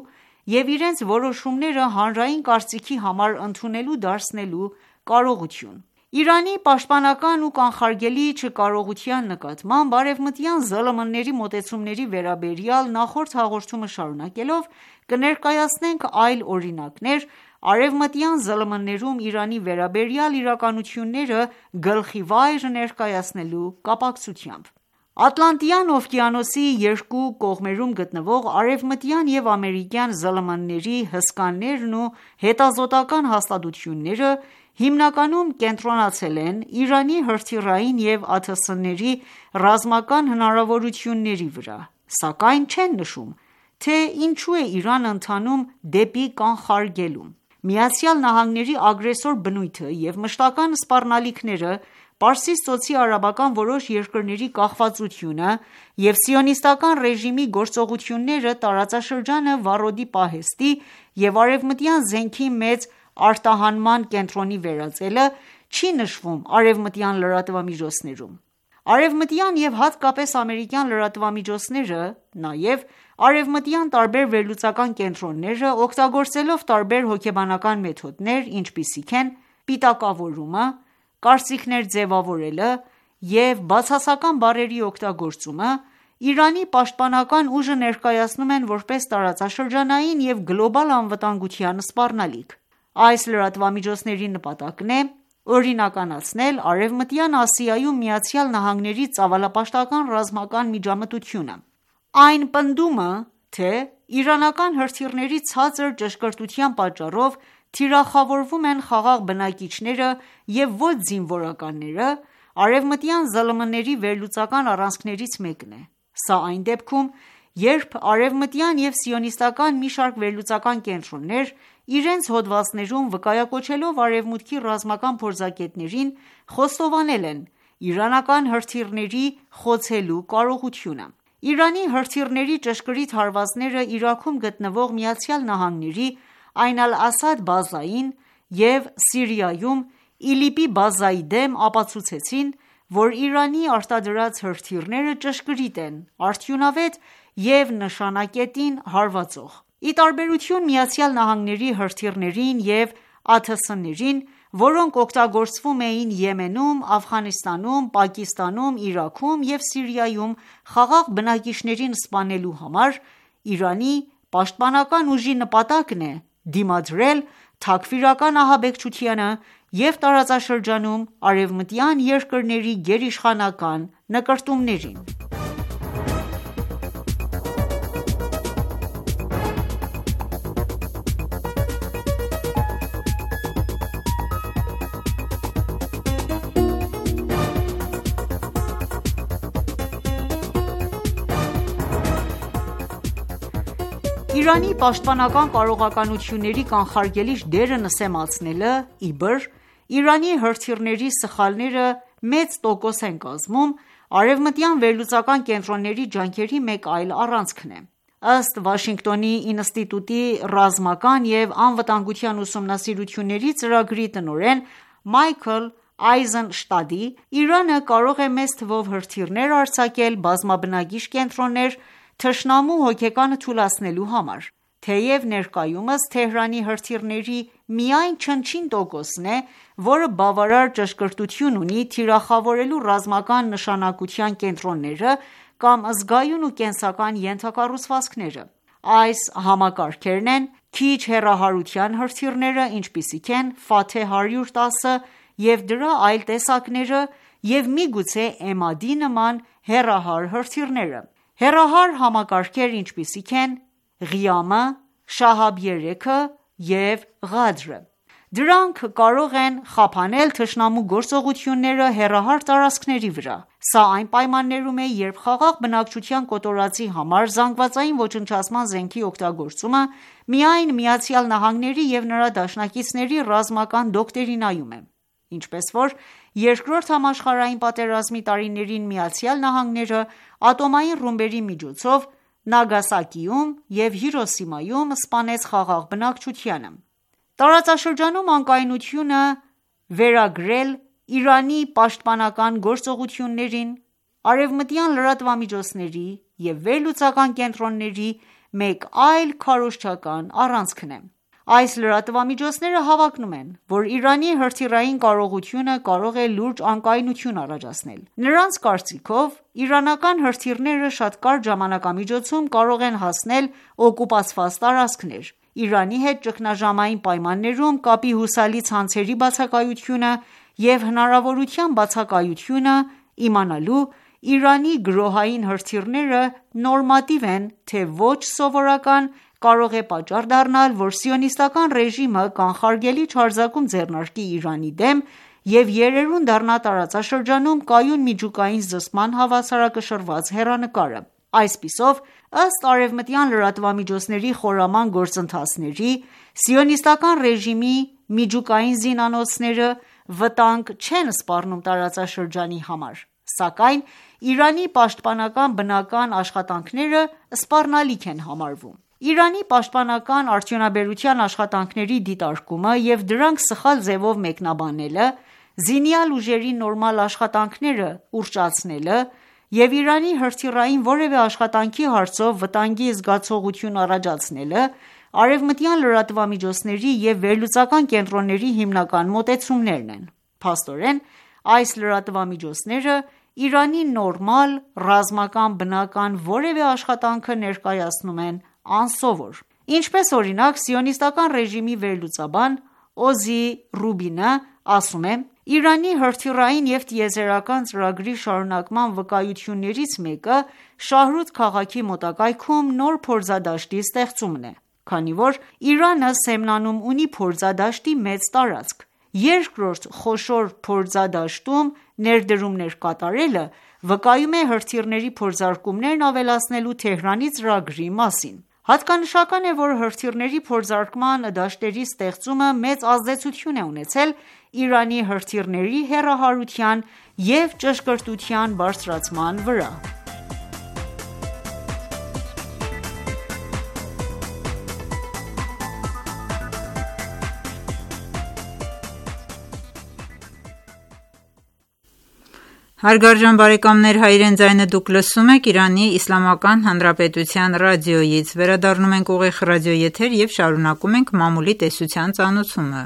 և իրենց որոշումները հանրային կարծիքի համար ընդունելի դարձնելու կարողություն։ Իրանի պաշտպանական ու կանխարգելիչ չկարողության նկատմամբ արևմտյան ԶԼՄ-ների մոտեցումների վերաբերյալ նախորդ հաղորդումը շարունակելով կներկայացնենք այլ օրինակներ արևմտյան ԶԼՄ-ներում Իրանի վերաբերյալ իրականությունները գլխիվայր ներկայացնելու կապակցությամբ։ Ատլանտյան օվկիանոսի երկու կողմերում գտնվող արևմտյան և ամերիկյան ԶԼՄ-ների հսկաներն ու հետազոտական հաստատությունները հիմնականում կենտրոնացել են Իրանի հրթիռային և ԱԹՍ-ների ռազմական հնարավորությունների վրա, սակայն չեն նշում, թե ինչու է Իրանը ընթանում դեպի կանխարգելում։ ԱՄՆ-ի ագրեսոր բնույթը և մշտական սպառնալիքները, Պարսից ծոցի արաբական որոշ երկրների կախվածությունը և սիոնիստական ռեժիմի գործողությունները տարածաշրջանը վառոդի պահեստի և արևմտյան զենքի մեծ արտահանման կենտրոնի վերածելը չի նշվում արևմտյան լրատվամիջոցներում։ Արևմտյան և հատկապես ամերիկյան լրատվամիջոցները, նաև արևմտյան տարբեր վերլուծական կենտրոնները, օգտագործելով տարբեր հոգեբանական մեթոդներ, ինչպիսիք են պիտակավորումը, կարծիքներ ձևավորելը և բացասական բառերի օգտագործումը, Իրանի պաշտպանական ուժը ներկայացնում են որպես տարածաշրջանային և գլոբալ անվտանգության սպառնալիք։ Այս լրատվամիջոցների նպատակն է օրինականացնել Արևմտյան Ասիայում ԱՄՆ-ի ծավալապաշտական ռազմական միջամտությունը։ Այն պնդումը, թե իրանական հրթիռների ցածր ճշգրտության պատճառով թիրախավորվում են խաղաղ բնակիչները և ոչ զինվորականները, արևմտյան ԶԼՄ-ների վերլուծական առանցքներից մեկն է: Սա այն դեպքում, երբ արևմտյան և սիոնիստական մի շարք վերլուծական կենտրոններ իրենց հոդվածներում վկայակոչելով Արևմուտքի ռազմական փորձագետներին, խոստովանել են իրանական հրթիռների խոցելու կարողությունը: Իրանի հրթիռների ճշգրիտ հարվածները Իրաքում գտնվող ԱՄՆ-ի Այն Ալ-Ասադ բազային և Սիրիայում ԻԼԻՊ-ի բազայի դեմ ապացուցեցին, որ Իրանի արտադրած հրթիռները ճշգրիտ են, արդյունավետ և նշանակետին հարվածող: Ի տարբերություն ԱՄՆ-ի հրթիռներին և ԱԹՍ-ներին, որոնք օգտագործվում էին Եմենում, Աֆղանստանում, Պակիստանում, Իրաքում և Սիրիայում խաղաղ բնակիչներին սպանելու համար, Իրանի պաշտպանական ուժի նպատակն է դիմադրել թաքֆիրական ահաբեկչությանը և տարածաշրջանում արևմտյան երկրների գերիշխանական նկրտումներին: Իրանի պաշտպանական կարողականությունների կանխարգելիչ դերը նսեմացնելը, իբր, Իրանի հրթիռների սխալները մեծ տոկոս են կազմում արևմտյան վերլուծական կենտրոնների ջանքերի մեկ այլ առանցքն է: Ըստ Վաշինգտոնի ինստիտուտի ռազմական և անվտանգության ուսումնասիրությունների ծրագրի տնօրեն Մայքլ Այզենշտադի, Իրանը կարող է մեծ թվով հրթիռներ արձակել բազմաբնակիչ կենտրոններ թշնամու հոգեկանը թուլացնելու համար: Թեև ներկայումս Թեհրանի հրթիռների միայն չնչին տոկոսն է, որը բավարար ճշգրտություն ունի թիրախավորելու ռազմական նշանակության կենտրոնները կամ զգայուն ու կենսական ենթակառուցվածքները: Այս համակարգերն են քիչ հեռահարության հրթիռները, ինչպիսիք են Ֆաթեհ 110-ը և դրա այլ տեսակները և միգուցե Էմադի նման հեռահար հրթիռները: Հեռահար համակարգեր, ինչպիսիք են Ղիամը, Շահաբ-3-ը և Ղադրը: Դրանք կարող են խափանել թշնամու գործողությունները հեռահար տարածքների վրա: Սա այն պայմաններում է, երբ խաղաղ բնակչության կոտորածի համար զանգվածային ոչնչացման զենքի օգտագործումը միայն ԱՄՆ-ի և նրա դաշնակիցների ռազմական դոկտրինայում է: Ինչպես որ Երկրորդ համաշխարհային պատերազմի տարիներին ԱՄՆ-ը ատոմային ռումբերի միջոցով Նագասակիում և Հիրոսիմայում սպանեց խաղաղ բնակչությանը: Տարածաշրջանում անկայունությունը վերագրել Իրանի պաշտպանական գործողություններին արևմտյան լրատվամիջոցների և վերլուծական կենտրոնների մեկ այլ քարոզչական առանցքն է: Այս լրատվամիջոցները հավակնում են, որ Իրանի հրթիռային կարողությունը կարող է լուրջ անկայունություն առաջացնել: Նրանց կարծիքով, իրանական հրթիռները շատ կարճ ժամանակամիջոցում կարող են հասնել օկուպացված տարածքներ: Իրանի հետ ճգնաժամային պայմաններում կապի հուսալի ցանցերի բացակայությունը և հնարավորության բացակայությունը իմանալու Իրանի գրոհային հրթիռները նորմատիվ են թե ոչ սովորական, կարող է պատճառ դառնալ, որ Սիոնիստական ռեժիմը կանխարգելիչ հարձակում ձեռնարկի Իրանի դեմ և երերուն դառնա տարածաշրջանում կայուն միջուկային զսպման հավասարակշռված հեռանկարը: Այսպիսով, ըստ արևմտյան լրատվամիջոցների խորաման գործընթացների, Սիոնիստական ռեժիմի միջուկային զինանոցները վտանգ չեն սպառնում տարածաշրջանի համար, սակայն Իրանի պաշտպանական բնական աշխատանքները սպառնալիք են համարվում: Իրանի պաշտպանական արդյունաբերության աշխատանքների դիտարկումը և դրանք սխալ ձևով մեկնաբանելը, զինյալ ուժերի նորմալ աշխատանքները ուռճացնելը և Իրանի հրթիռային որևէ աշխատանքի հարցով վտանգի զգացողություն առաջացնելը արևմտյան լրատվամիջոցների և վերլուծական կենտրոնների հիմնական մոտեցումներն են: Փաստորեն, այս լրատվամիջոցները Իրանի նորմալ ռազմական բնական որևէ աշխատանքը ներկայացնում են անսովոր: Ինչպես օրինակ, Սիոնիստական ռեժիմի վերլուծաբան Օզի Ռուբինը ասում է. Իրանի հրթիռային և տիեզերական ծրագրի շարունակման վկայություններից մեկը Շահրութ քաղաքի մոտակայքում նոր փորձադաշտի ստեղծումն է, քանի որ Իրանը Սեմնանում ունի փորձադաշտի մեծ տարածք։ Երկրորդ խոշոր փորձադաշտում ներդրումներ կատարելը վկայում է հրթիռների փորձարկումներն ավելացնելու Թեհրանի ծրագրի մասին։ Հատկանշական է, որ հրթիռների փորձարկման դաշտերի ստեղծումը մեծ ազդեցություն է ունեցել Իրանի հրթիռների հեռահարության և ճշգրտության բարձրացման վրա։ Հարգարժան բարեկամներ, Հայրեն ձայնը դուք լսում եք Իրանի Իսլամական Հանրապետության ռադիոյից։ Վերադառնում ենք ուղիղ ռադիոեթեր և շարունակում ենք մամուլի տեսության ծանոթումը։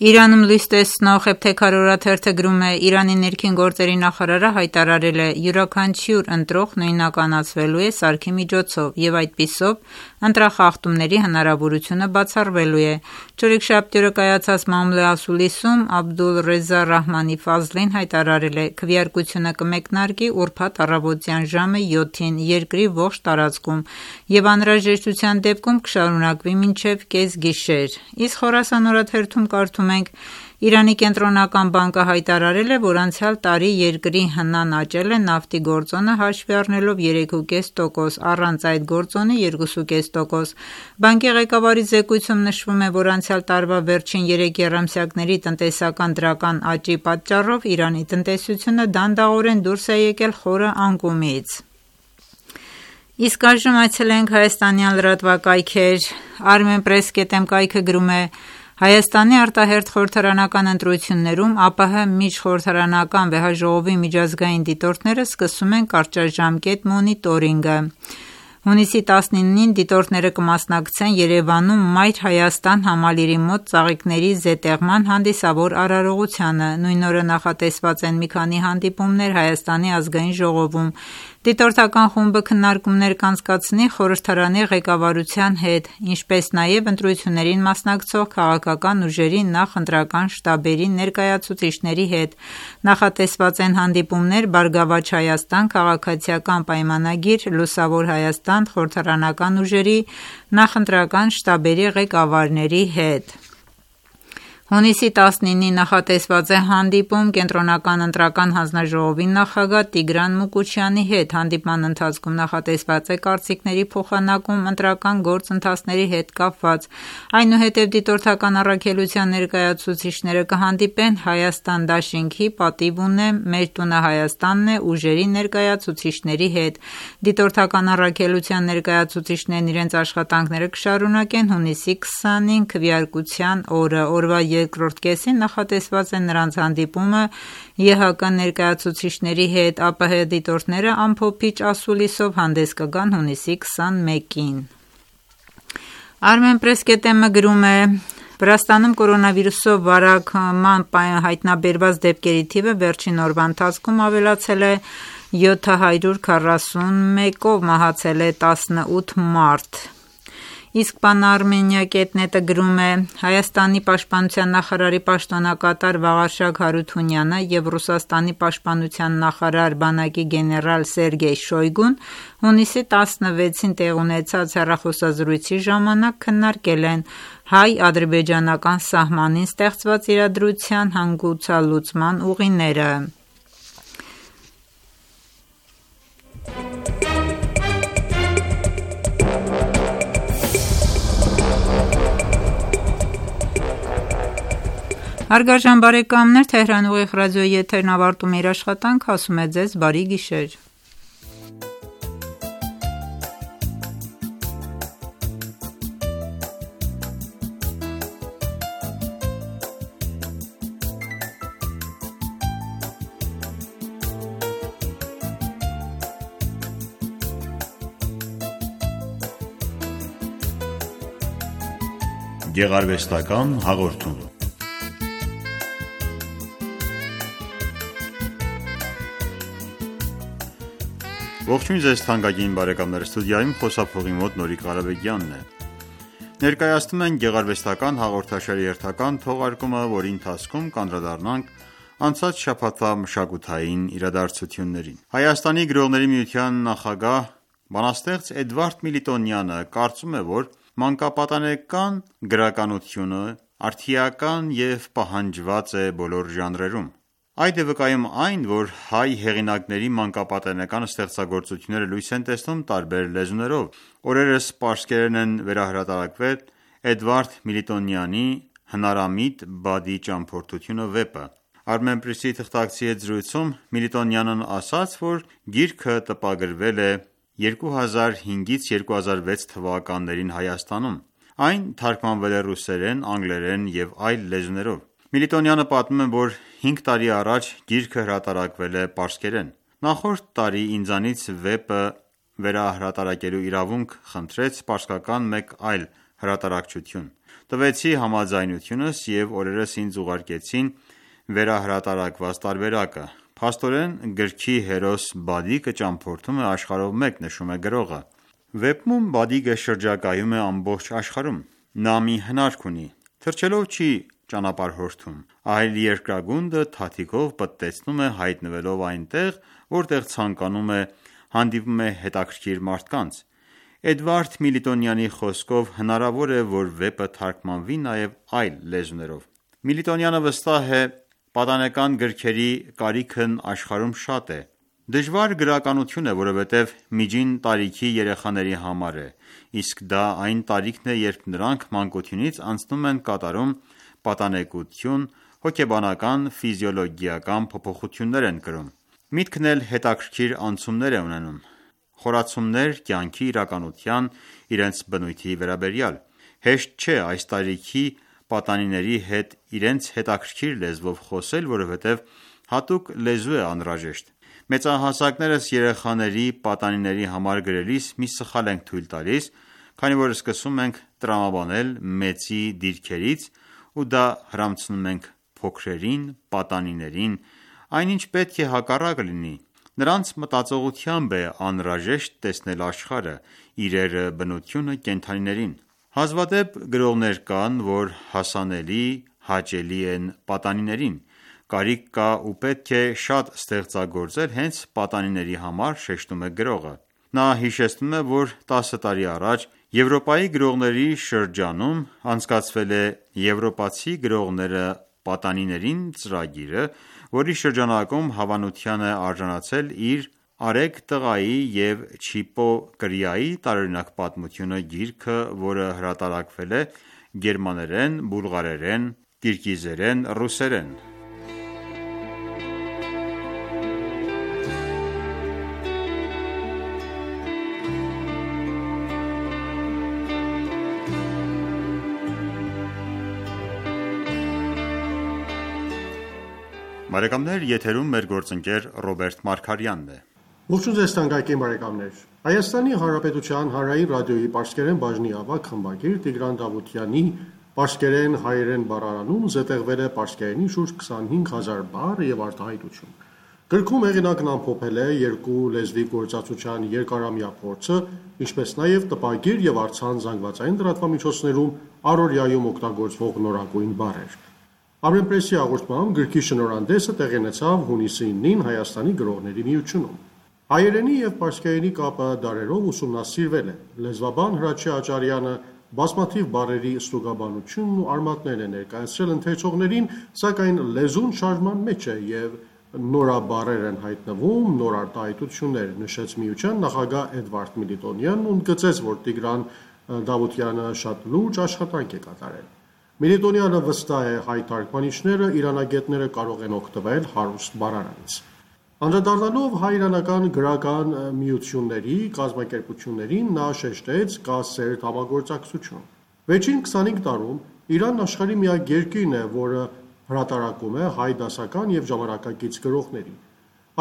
Իրանում լույս տեսնող Էբթեքար օրաթերթը գրում է. Իրանի ներքին գործերի նախարարը հայտարարել է. յուրաքանչյուր ընտրող նույնականացվելու է սարքի միջոցով և այդպիսով ընտրախախտումների հնարավորությունը բացառվելու է։ Չորեքշաբթի օրը կայացած մամուլի ասուլիսում Աբդուլ Ռեզա Ռահմանի Ֆազլին հայտարարել է. քվեարկությունը կմեկնարկի ուրբաթ առավոտյան ժամը 7-ին երկրի ողջ տարածքում և անհրաժեշտության դեպքում կշարունակվի մինչև կեսգիշեր։ Իսկ Խորասան օրաթերթում կարդում Իրանի կենտրոնական բանկը հայտարարել է, որ անցյալ տարի երկրի հնան աճել է նավթի գործոնը հաշվի առնելով 3,5%, առանց այդ գործոնի 2,5%։ Բանկի ղեկավարի զեկույցում նշվում է, որ անցյալ տարվա վերջին 3 եռամսյակների տնտեսական դրական աճի պատճառով Իրանի տնտեսությունը դանդաղորեն դուրս է եկել խորը անկումից։ Իսկ այժմ այցելենք հայաստանյան լրատվակայքեր։ Armenpress.am կայքը գրում է. Հայաստանի արտահերթ խորհրդարանական ընտրություններում ԱՊՀ միջխորհրդարանական վեհաժողովի միջազգային դիտորդները սկսում են կարճաժամկետ մոնիտորինգը։ Հունիսի 19-ին դիտորդները կմասնակցեն Երևանում Մայր Հայաստան համալիրի մոտ ծաղիկների զետեղման հանդիսավոր արարողությանը։ Նույն օրը նախատեսված են մի քանի հանդիպումներ Հայաստանի ազգային ժողովում։ Դիտորդական խումբը քննարկումներ կանցկացնի խորհրդարանի ղեկավարության հետ, ինչպես նաև ընտրություններին մասնակցող քաղաքական ուժերի նախընտրական շտաբերի ներկայացուցիչների հետ։ Նախատեսված են հանդիպումներ Բարգավաճ Հայաստան քաղաքացիական պայմանագիր, Լուսավոր Հայաստան խորհրդարանական ուժերի նախընտրական շտաբերի ղեկավարների հետ։ Հունիսի 19-ին նախատեսված է հանդիպում Կենտրոնական ընտրական հանձնաժողովի նախագահ Տիգրան Մուկուչյանի հետ։ Հանդիպման ընթացքում նախատեսված է կարծիքների փոխանակում ընտրական գործընթացների հետ կապված։ Այնուհետև դիտորդական առաքելության ներկայացուցիչները կհանդիպեն Հայաստան դաշինքի պատիվ ունեմ, Մեր տունը Հայաստանն է ուժերի ներկայացուցիչների հետ։ Դիտորդական առաքելության ներկայացուցիչներն իրենց աշխատանքները կշարունակեն հունիսի 20-ին քվեարկության օրը։ Օրվա երկրորդ կեսին նախատեսված է նրանց հանդիպումը ԵՀԿ ներկայացուցիչների հետ։ ԱՊՀ դիտորդները ամփոփիչ ասուլիսով հանդես կգան հունիսի 21-ին։ Armenpress.am-ը գրում է. Վրաստանում կորոնավիրուսով վարակման հայտնաբերված դեպքերի թիվը վերջին օրվա ընթացքում ավելացել է 741-ով, մահացել է 18 մարդ։ Իսկ Pan-Armenia.net-ը գրում է. Հայաստանի պաշտպանության նախարարի պաշտոնակատար Վաղարշակ Հարութունյանը և Ռուսաստանի պաշտպանության նախարար բանակի գեներալ Սերգեյ Շոյգուն հունիսի 16-ին տեղ ունեցած հեռախոսազրույցի ժամանակ քննարկել են հայ-ադրբեջանական սահմանին ստեղծված իրադրության հանգուցալուծման ուղիները։ Հարգարժան բարեկամներ, Թեհրան ուղիղ ռադիոյի եթերն ավարտում է իր աշխատանքը, ասում է ձեզ բարի գիշեր։ Գեղարվեստական հաղորդում։ Ողջույն ձեզ թանկագին բարեկամներ, ստուդիայում խոսափողի մոտ Նորիկ Ղարաբեգյանն է։ Ներկայացնում ենք գեղարվեստական հաղորդաշարի հերթական թողարկումը, որի ընթացքում կանդրադառնանք անցած շաբաթվա մշակութային իրադարձություններին։ Հայաստանի գրողների միության նախագահ, բանաստեղծ Էդվարդ Միլիտոնյանը կարծում է, որ մանկապատանեկան գրականությունը արդիական և պահանջված է բոլոր ժանրերում։ Այդ է վկայում այն, որ հայ հեղինակների մանկապատանեկան ստեղծագործությունները լույս են տեսնում տարբեր լեզուներով։ Օրերս պարսկերեն են վերահրատարակվել Էդվարդ Միլիտոնյանի «Հնարամիտ Բադի ճամփորդությունը» վեպը։ Armenpress-ի թղթակցի հետ զրույցում Միլիտոնյանն ասաց, որ գիրքը տպագրվել է 2005-2006 թվականներին Հայաստանում։ Այն թարգմանվել է ռուսերեն, անգլերեն և այլ լեզուներով։ Միլիտոնյանը պատմում է, որ 5 տարի առաջ գիրքը հրատարակվել է պարսկերեն։ Նախորդ տարի ինձանից վեպը վերահրատարակելու իրավունք խնդրեց պարսկական մեկ այլ հրատարակչություն։ Տվեցի համաձայնությունս և օրերս ինձ ուղարկեցին վերահրատարակված տարբերակը։ Փաստորեն գրքի հերոս Բադիկը ճամփորդում է աշխարհով մեկ, նշում է գրողը։ Վեպում Բադիկը շրջագայում է ամբողջ աշխարհում։ Նա մի հնարք ունի։ Թռչելով չի ճանապարհորդում, այլ երկրագունդը թաթիկով պտտեցնում է, հայտնվելով այնտեղ, որտեղ ցանկանում է, հանդիպում է հետաքրքիր մարդկանց։ Էդվարդ Միլիտոնյանի խոսքով հնարավոր է, որ վեպը թարգմանվի նաև այլ լեզուներով։ Միլիտոնյանը վստահ է, պատանեկան գրքերի կարիքն աշխարհում շատ է։ Դժվար գրականություն է, որովհետև միջին տարիքի երեխաների համար է, իսկ դա այն տարիքն է, երբ նրանք մանկությունից անցնում են կատարում պատանեկություն, հոգեբանական, ֆիզիոլոգիական փոփոխություններ են կրում։ Միտքն էլ հետաքրքիր անցումներ է ունենում, խորացումներ կյանքի իրականության, իրենց բնույթի վերաբերյալ։ Հեշտ չէ այս տարիքի պատանիների հետ իրենց հետաքրքիր լեզվով խոսել, որովհետև հատուկ լեզու է անհրաժեշտ։ Մեծահասակներս երեխաների պատանիների համար գրելիս մի սխալ ենք թույլ տալիս, քանի որ սկսում ենք տրամաբանել մեծի դիրքերից ու դա հրամցնում ենք փոքրերին, պատանիներին, այնինչ պետք է հակառակը լինի։ Նրանց մտածողությամբ է անհրաժեշտ տեսնել աշխարհը, իրերը, բնությունը, կենդանիներին։ Հազվադեպ գրողներ կան, որ հասանելի, հաճելի են պատանիներին։ Կարիք կա ու պետք է շատ ստեղծագործել հենց պատանիների համար, շեշտում է գրողը։ Նա հիշեցնում է, որ 10 տարի առաջ Եվրոպայի գրողների շրջանում անցկացվել է Եվրոպացի գրողները պատանիներին ծրագիրը, որի շրջանակում հավանության է արժանացել իր «Արեգ տղայի» և «Չիպո կրիայի» տարօրինակ պատմությունը գիրքը, որը հրատարակվել է գերմաներեն, բուլղարերեն, կիրգիզերեն, ռուսերեն։ Բարեկամներ, եթերում մեր գործընկեր Ռոբերտ Մարգարյանն է։ Ողջույն ձեզ թանկագին բարեկամներ։ Հայաստանի Հանրապետության Հանրային ռադիոյի պարսկերեն բաժնի ավագ խմբագիր Տիգրան Դավթյանի պարսկերեն հայերեն բառարանում զետեղվել է պարսկերենի շուրջ 25000 բառ եւ արտահայտություն։ Գրքում հեղինակն ամփոփել է երկու լեզվի գործածության երկարամյա փորձը, ինչպես նաև տպագիր եւ առցանց զանգվածային լրատվամիջոցներում առօրյայում օգտագործվող նորագույն բառեր։ Armenpress-ի հաղորդմամբ գրքի շնորհանդեսը տեղի ունեցավ հունիսի 9-ին Հայաստանի գրողների միությունում։ Հայերենի եւ պարսկերենի կապը դարերով ուսումնասիրվել է։ Լեզվաբան Հրաչյա Աճարյանը բազմաթիվ բառերի ստուգաբանությունն ու արմատներ է ներկայացրել ընթերցողներին, սակայն լեզուն շարժման մեջ է եւ նորաբառեր են հայտնվում, նոր արտահայտություններ, նշեց միության նախագահ Էդվարդ Միլիտոնյանն ու ընդգծեց, որ Տիգրան Դավթյանը շատ լուրջ աշխատանք է կատարել։ Միլիտոնյանը վստահ է, հայ թարգմանիչները, իրանագետները կարող են օգտվել հարուստ բառարանից։ Անդրադառնալով հայ-իրանական գրական միությունների կազմակերպություններին, նա շեշտեց կա սերտ համագործակցություն։ Վերջին 25 տարում Իրանն աշխարհի միակ երկիրն է, որը հրատարակում է հայ դասական եւ ժամանակակից գրողների։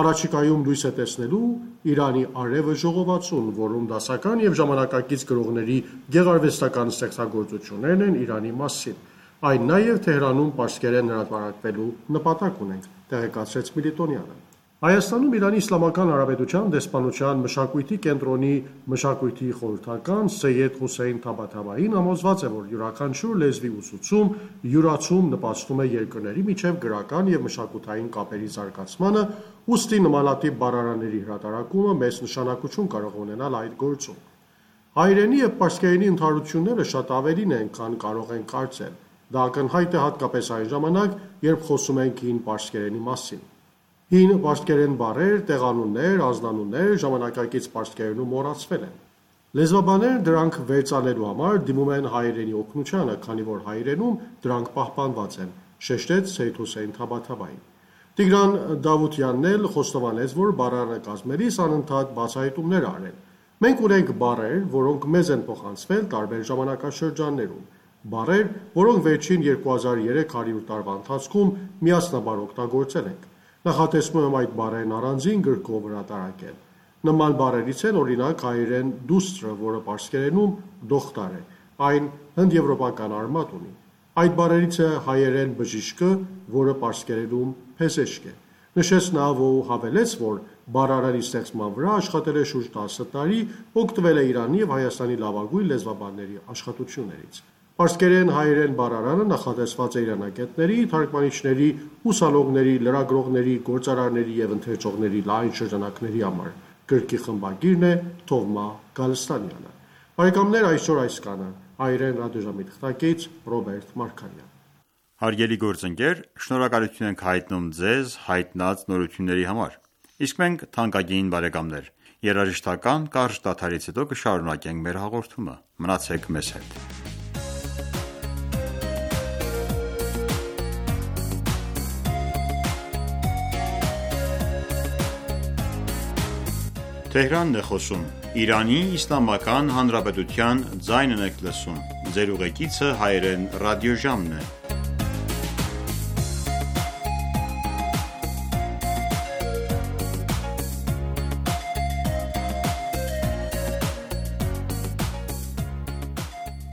Առաջիկայում լույս է տեսնելու Իրանի արևը ժողովածուն, որում դասական եւ ժամանակակից գրողների գեղարվեստական ստեղծագործություններն են Իրանի մասին։ Այն նաև Թեհրանում պարսկերեն հրատարակվելու նպատակ ունենք, տեղեկացրեց Միլիտոնյանը։ Հայաստանում Իրանի Իսլամական Հանրապետության դեսպանության մշակույթի կենտրոնի մշակույթի խորհրդական Սեյեդ Հոսեյն Թաբաթաբային համոզված է, որ յուրաքանչյուր լեզվի ուսուցում, յուրացում նպաստում է երկրների միջև գրական և մշակութային կապերի զարգացմանը, ուստի նմանատիպ բառարանների հրատարակումը մեծ նշանակություն կարող է ունենալ այդ գործում։ Հայերենի և պարսկերենի ընդհանրությունները շատ ավելին են, քան կարող ենք կարծել։ Դա ակնհայտ է հատկապես այն ժամանակ, երբ խոսում ենք հին պարսկերենի մասին։ Հին պարսկերեն բառեր, տեղանուններ, ազնանուններ ժամանակակից պարսկերենում մոռացվել են։ Լեզվաբանները դրանք վերծանելու համար դիմում են հայերենի օգնությանը, քանի որ հայերենում դրանք պահպանված են, շեշտեց Սեյեդ Հոսեյն Թաբաթաբային։ Տիգրան Դավությանն էլ խոստովանեց, որ բառարանը կազմելիս անընդհատ բացահայտումներ արել։ Մենք ունենք բառեր, որոնք մեզ են փոխանցվել տարբեր ժամանակաշրջաններում, բառեր, որոնք վերջին 2300 տարվա ընթացքում միասնաբար օգտագործել ենք։ Նախատեսում եմ այդ բառերն առանձին գրքով հրատարակել։ Նման բառերից են օրինակ հայերեն դուստրը, որը պարսկերենում դոխտար է, այն հնդեվրոպական արմատ ունի։ Այդ բառերից է հայերեն բժիշկը, որը պարսկերենում փեզեշք է։ Նշեց նա ու հավելեց, որ բառարանի ստեղծման վրա աշխատել է շուրջ 10 տարի, օգտվել է Իրանի և Հայաստանի լավագույն լեզվաբանների աշխատություններից։ Պարսկերեն հայերեն բառարանը նախատեսված է իրանագետների, թարգմանիչների, ուսանողների, լրագրողների, գործարարների և ընթերցողների լայն շրջանակների համար։ Գրքի խմբագիրն է Թովմա Գալստանյանը։ Բարեկամներ, այսօր այսքանը։ Հայերեն ռադիոժամի թղթակից Ռոբերտ Մարգարյան։ Հարգելի գործընկեր, շնորհակալություն ենք հայտնում ձեզ հայտնած նորությունների համար։ Իսկ մենք, թանկագին բարեկամներ, երաժշտական կարճ դադարից հետո կշարունակենք մեր հաղորդումը։ Մնացեք մեզ հետ։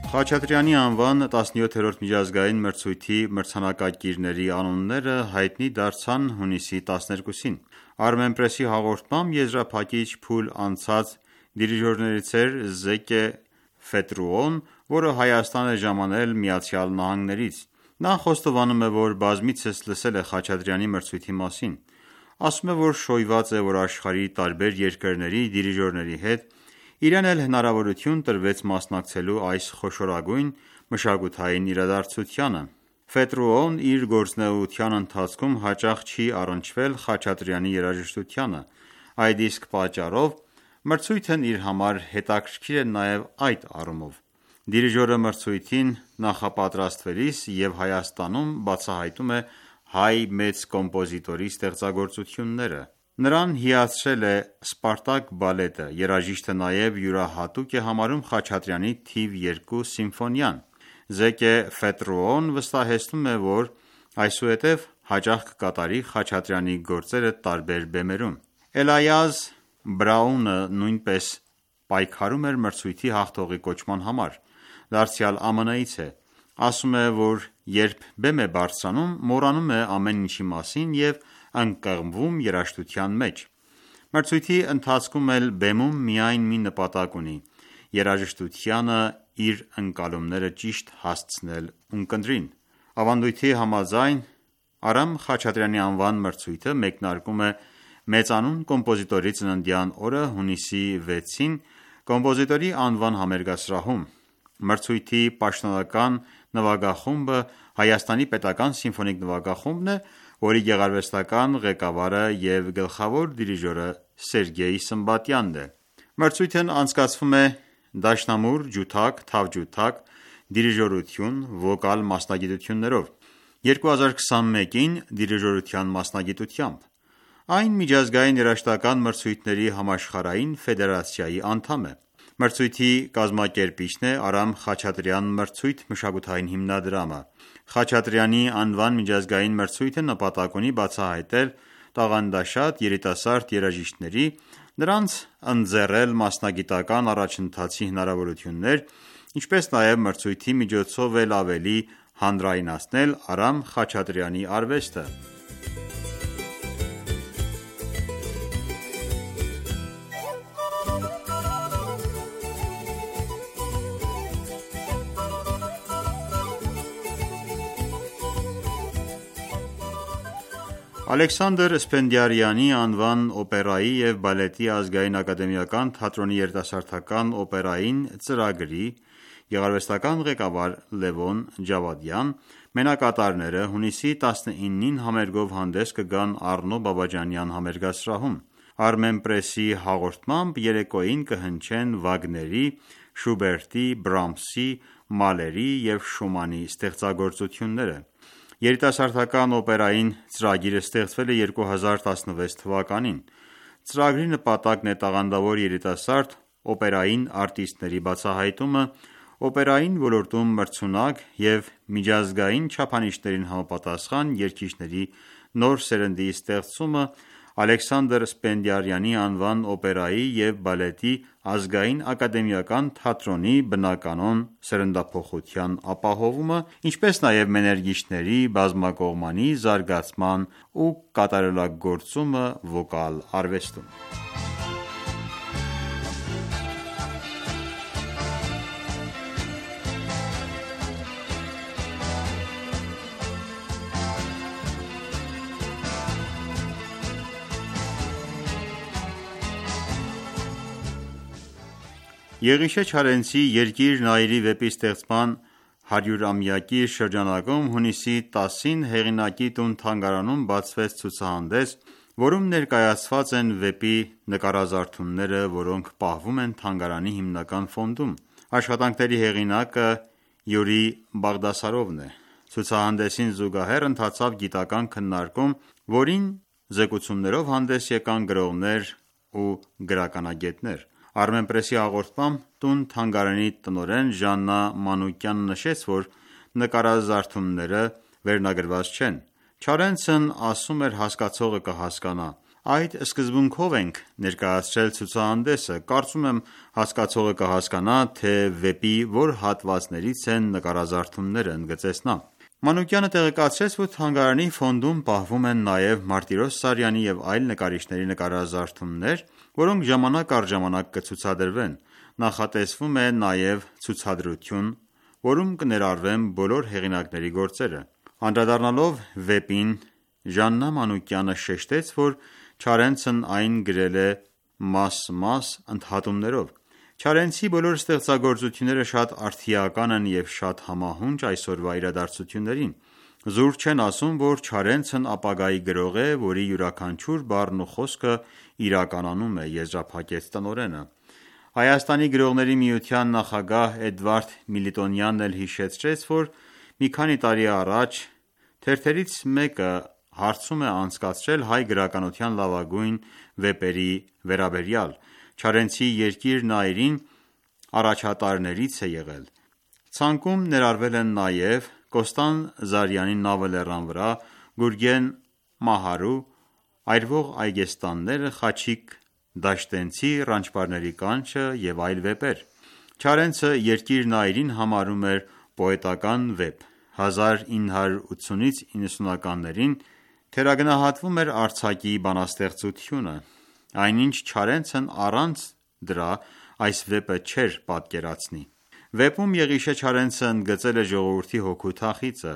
Խաչատրյանի անվան 17-րդ միջազգային մրցույթի մրցանակակիրների անունները հայտնի դարձան հունիսի 12-ին։ Armenpress-ի հաղորդմամբ եզրափակիչ փուլ անցած դիրիժորներից էր Զեկե Ֆետրուոն, որը Հայաստան է ժամանել ԱՄՆ-ից։ Նա խոստովանում է, որ բազմիցս լսել է Խաչատրյանի մրցույթի մասին։ Ասում է, որ շոյված է, որ աշխարհի տարբեր երկրների դիրիժորների հետ իրեն էլ հնարավորություն տրվեց մասնակցելու այս խոշորագույն մշակութային իրադարձությանը։ Ֆետրուոն իր գործունեության ընթացքում հաճախ չի առնչվել Խաչատրյանի երաժշտությանը։ Այդ իսկ պատճառով մրցույթն իր համար հետաքրքիր է նաև այդ առումով։ Դիրիժորը մրցույթին նախապատրաստվելիս և Հայաստանում բացահայտում է հայ մեծ կոմպոզիտորի ստեղծագործությունները։ Նրան հիացրել է Սպարտակ բալետը, երաժիշտը նաև յուրահատուկ է համարում Խաչատրյանի թիվ 2 սիմֆոնիան։ Զեկե Ֆետրուոն վստահեցնում է, որ այսուհետև հաճախ կկատարի Խաչատրյանի գործերը տարբեր բեմերում։ Էլայազ Բրաունը նույնպես պայքարում էր մրցույթի հաղթողի կոչման համար։ Դարձյալ ԱՄՆ-ից է։ Ասում է, որ երբ բեմ է բարձրանում, մոռանում է ամեն ինչի մասին և ընկղմվում երաժշտության մեջ։ Մրցույթի ընթացքում էլ բեմում միայն մի նպատակ ունի՝ երաժշտությանը իր ընկալումները ճիշտ հասցնել ունկնդրին։ Ավանդույթի համաձայն Արամ Խաչատրյանի անվան մրցույթը մեկնարկում է մեծանուն կոմպոզիտորի ծննդյան օրը հունիսի 6-ին կոմպոզիտորի անվան համերգասրահում։ Մրցույթի պաշտոնական նվագախումբը Հայաստանի պետական սիմֆոնիկ նվագախումբն է, որի գեղարվեստական ղեկավարը և գլխավոր դիրիժորը Սերգեյ Սմբատյանն է։ Մրցույթն անցկացվում է դաշնամուր, ջութակ, թավջութակ, դիրիժորություն, վոկալ մասնագիտություններով։ 2021-ին դիրիժորության մասնագիտությամբ։ Այն միջազգային երաժշտական մրցույթների համաշխարհային ֆեդերացիայի անդամ է։ Մրցույթի կազմակերպիչն է Արամ Խաչատրյան մրցույթ մշակութային հիմնադրամը։ Խաչատրյանի անվան միջազգային մրցույթը նպատակ ունի բացահայտել տաղանդաշատ երիտասարդ երաժիշտների, նրանց ընձեռել մասնագիտական առաջընթացի հնարավորություններ, ինչպես նաև մրցույթի միջոցով էլ ավելի հանրայնացնել Արամ Խաչատրյանի արվեստը։ Ալեքսանդր Սպենդիարյանի անվան օպերայի և բալետի ազգային ակադեմիական թատրոնի երիտասարդական օպերային ծրագրի գեղարվեստական ղեկավար Լևոն Ջավադյան մենակատարները հունիսի 19-ին համերգով հանդես կգան Առնո Բաբաջանյան համերգասրահում: Armenpress-ի հաղորդմամբ երեկոյին կհնչեն Վագների, Շուբերտի, Բրամսի, Մալերի և Շումանի ստեղծագործությունները: Երիտասարդական օպերային ծրագիրը ստեղծվել է 2016 թվականին: Ծրագրի նպատակն է տաղանդավոր երիտասարդ օպերային արտիստների բացահայտումը, օպերային ոլորտում մրցունակ և միջազգային չափանիշներին համապատասխան երգիչների նոր սերնդի ստեղծումը, Ալեքսանդր Սպենդիարյանի անվան օպերայի և բալետի ազգային ակադեմիական թատրոնի բնականոն սերնդափոխության ապահովումը, ինչպես նաև մեներգիչների բազմակողմանի զարգացման ու կատարելագործումը վոկալ արվեստում: Եղիշե Չարենցի «Երկիր Նայիրի» վեպի ստեղծման 100-ամյակի շրջանակում հունիսի 10-ին հեղինակի տուն-թանգարանում բացվեց ցուցահանդես, որում ներկայացված են վեպի նկարազարդումները, որոնք պահվում են թանգարանի հիմնական ֆոնդում: Աշխատանքների հեղինակը Յուրի Բաղդասարովն է: Ցուցահանդեսին զուգահեռ ընթացավ գիտական քննարկում, որին զեկուցումներով հանդես եկան գրողներ ու գրականագետներ: Armenpress-ի հաղորդմամբ տուն-թանգարանի տնօրեն Ժաննա Մանուկյանն նշեց, որ նկարազարդումները վերնագրված չեն: Չարենցն ասում էր հասկացողը կհասկանա: Այդ սկզբունքով ենք ներկայացրել ցուցահանդեսը: Կարծում եմ հասկացողը կհասկանա, թե վեպի որ հատվածներից են նկարազարդումները, ընդգծեց նա: Մանուկյանը տեղեկացրեց, որ թանգարանի ֆոնդում պահվում են նաև Մարտիրոս Սարյանի և այլ նկարիչների նկարազարդումներ, որոնք ժամանակ առ ժամանակ կցուցադրվեն: Նախատեսվում է նաև ցուցադրություն, որում կներառվեն բոլոր հեղինակների գործերը: Անդրադառնալով վեպին, Ժաննա Մանուկյանը շեշտեց, որ Չարենցն այն գրել է մաս-մաս ընդհատումներով: Չարենցի բոլոր ստեղծագործությունները շատ արդիական են և շատ համահունչ այսօրվա իրադարձություններին: Զուր չեն ասում, որ Չարենցն ապագայի գրող է, որի յուրաքանչյուր բառն ու խոսքը իրականանում է, եզրափակեց տնօրենը: Հայաստանի գրողների միության նախագահ Էդվարդ Միլիտոնյանն էլ հիշեցրեց, որ մի քանի տարի առաջ թերթերից մեկը հարցում է անցկացրել հայ գրականության լավագույն վեպերի վերաբերյալ: Չարենցի «Երկիր Նայիրին» առաջատարներից է եղել: Ցանկում ներառվել են նաև Կոստան Զարյանի «Նավը լեռան վրա», Գուրգեն Մահարու «Այրվող այգեստանները», Խաչիկ Դաշտենցի «Ռանչպարների կանչը» և այլ վեպեր: Չարենցը «Երկիր Նայիրին» համարում էր պոետական վեպ: 1980-ից 90-ականներին թերագնահատվում էր արձակի բանաստեղծությունը: Այնինչ Չարենցն առանց դրա այս վեպը չէր պատկերացնի: Վեպում Եղիշե Չարենցը ընդգծել է ժողովրդի հոգու թախիծը: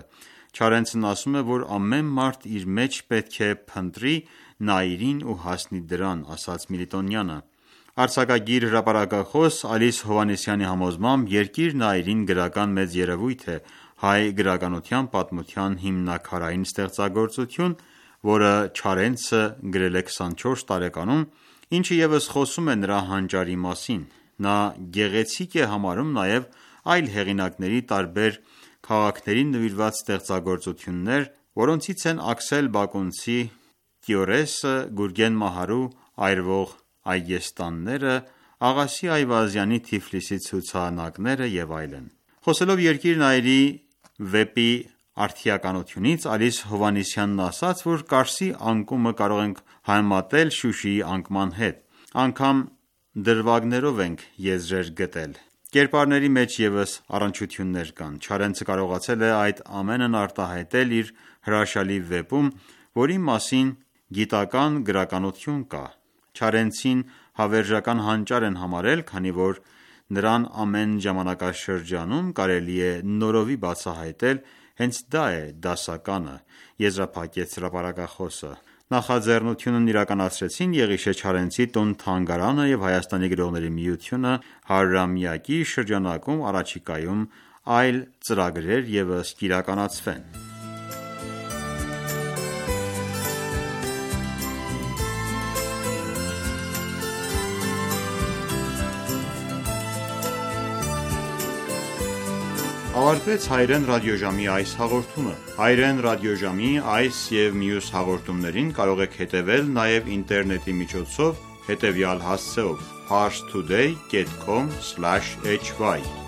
Չարենցն ասում է, որ ամեն մարդ իր մեջ պետք է փնտրի Նայիրին ու հասնի դրան, ասաց Միլիտոնյանը: Արձակագիր, հրապարակախոս Ալիս Հովհաննիսյանի համոզմամբ «Երկիր Նայիրին» գրական մեծ երևույթ է, հայ գրականության պատմության հիմնաքարային ստեղծագործություն, որը Չարենցը գրել է 24 տարեկանում, ինչը ևս խոսում է նրա հանճարի մասին: Նա գեղեցիկ է համարում նաև այլ հեղինակների տարբեր քաղաքներին նվիրված ստեղծագործություններ, որոնցից են Աքսել Բակունցի «Կիորեսը», Գուրգեն Մահարու «Այրվող այգեստանները», Աղասի Այվազյանի «Թիֆլիսի ցուցանակները» և այլն: Խոսելով «Երկիր Նայիրի» վեպի արդիականությունից, Ալիս Հովհաննիսյանն ասաց, որ Կարսի անկումը կարող ենք համեմատել Շուշիի անկման հետ: Անգամ դրվագներով ենք եզրեր գտել: Կերպարների մեջ ևս առնչություններ կան: Չարենցը կարողացել է այդ ամենն արտահայտել իր հրաշալի վեպում, որի մասին գիտական գրականություն կա: Չարենցին հավերժական հանճար են համարել, քանի որ նրան ամեն ժամանակաշրջանում կարելի է նորովի բացահայտել Հենց դա է դասականը, եզրափակեց հրապարակախոսը։ Նախաձեռնությունն իրականացրեցին Եղիշե Չարենցի տուն-թանգարանը և Հայաստանի գրողների միությունը 100-ամյակի շրջանակում առաջիկայում այլ ծրագրեր ևս կիրականացվեն։ Ավարտվեց հայերեն ռադիոժամի այս հաղորդումը։ Հայերեն ռադիոժամի այս և մյուս հաղորդումներին կարող եք հետևել նաև ինտերնետի միջոցով հետևյալ հասցեով՝ parstoday.com/hy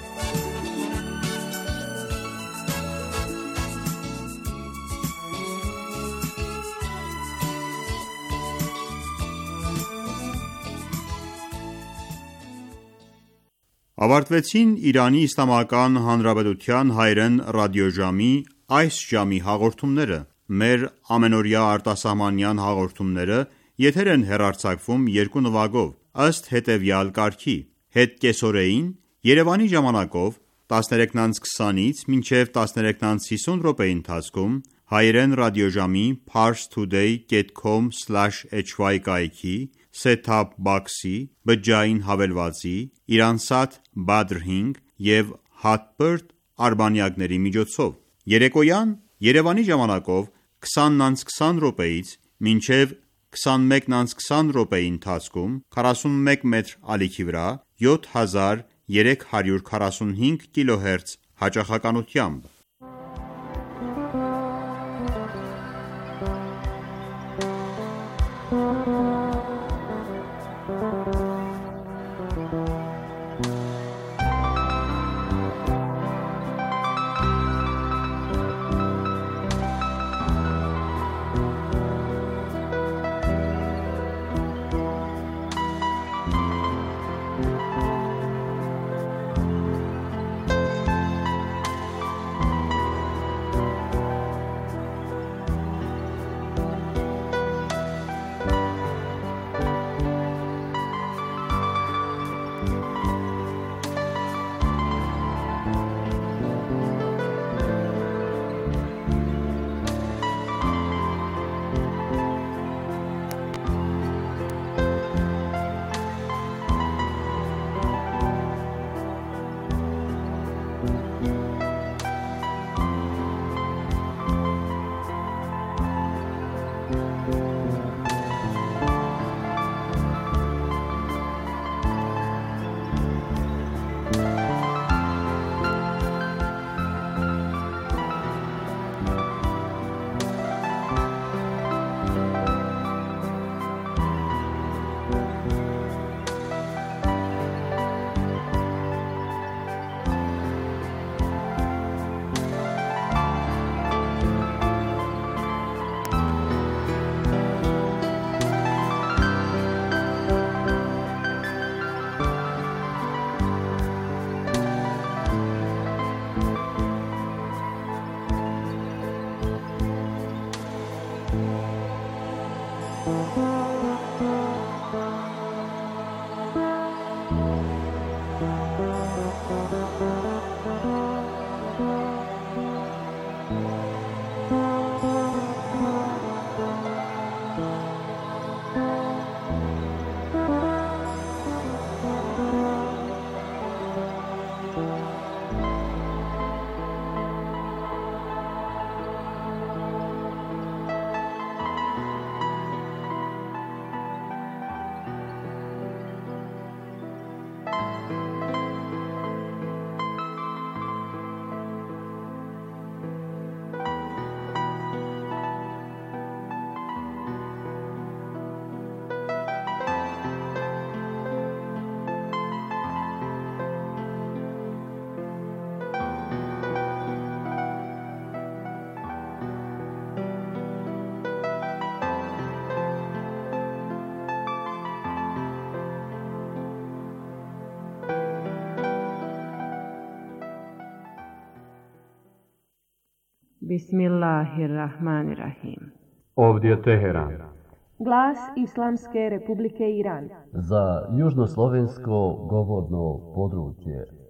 Ավարտվեցին Իրանի Իսլամական Հանրապետության հայերեն ռադիոժամի այս ժամի հաղորդումները։ Մեր ամենօրյա արտասահմանյան հաղորդումները եթեր են հեռարձակվում երկու նվագով, ըստ հետևյալ կարգի. Հետ կեսօրեին Երևանի ժամանակով 13:20-ից մինչև 13:50 րոպեի ընթացքում հայերեն ռադիոժամի parstoday.com/hy կայքի, set-top box-ի, բջջային հավելվածի, Iransat Badr 5 և Hotbird արբանյակների միջոցով։ Երեկոյան Երևանի ժամանակով 20:20 րոպեից մինչև 21:20 րոպեի ընթացքում 41 մետր ալիքի վրա 7345 կիլոհերց հաճախականությամբ։ Bismillahirrahmanirrahim. Ovdje Teheran. Glas Islamske Republike Iran. Za južnoslovensko govorno područje.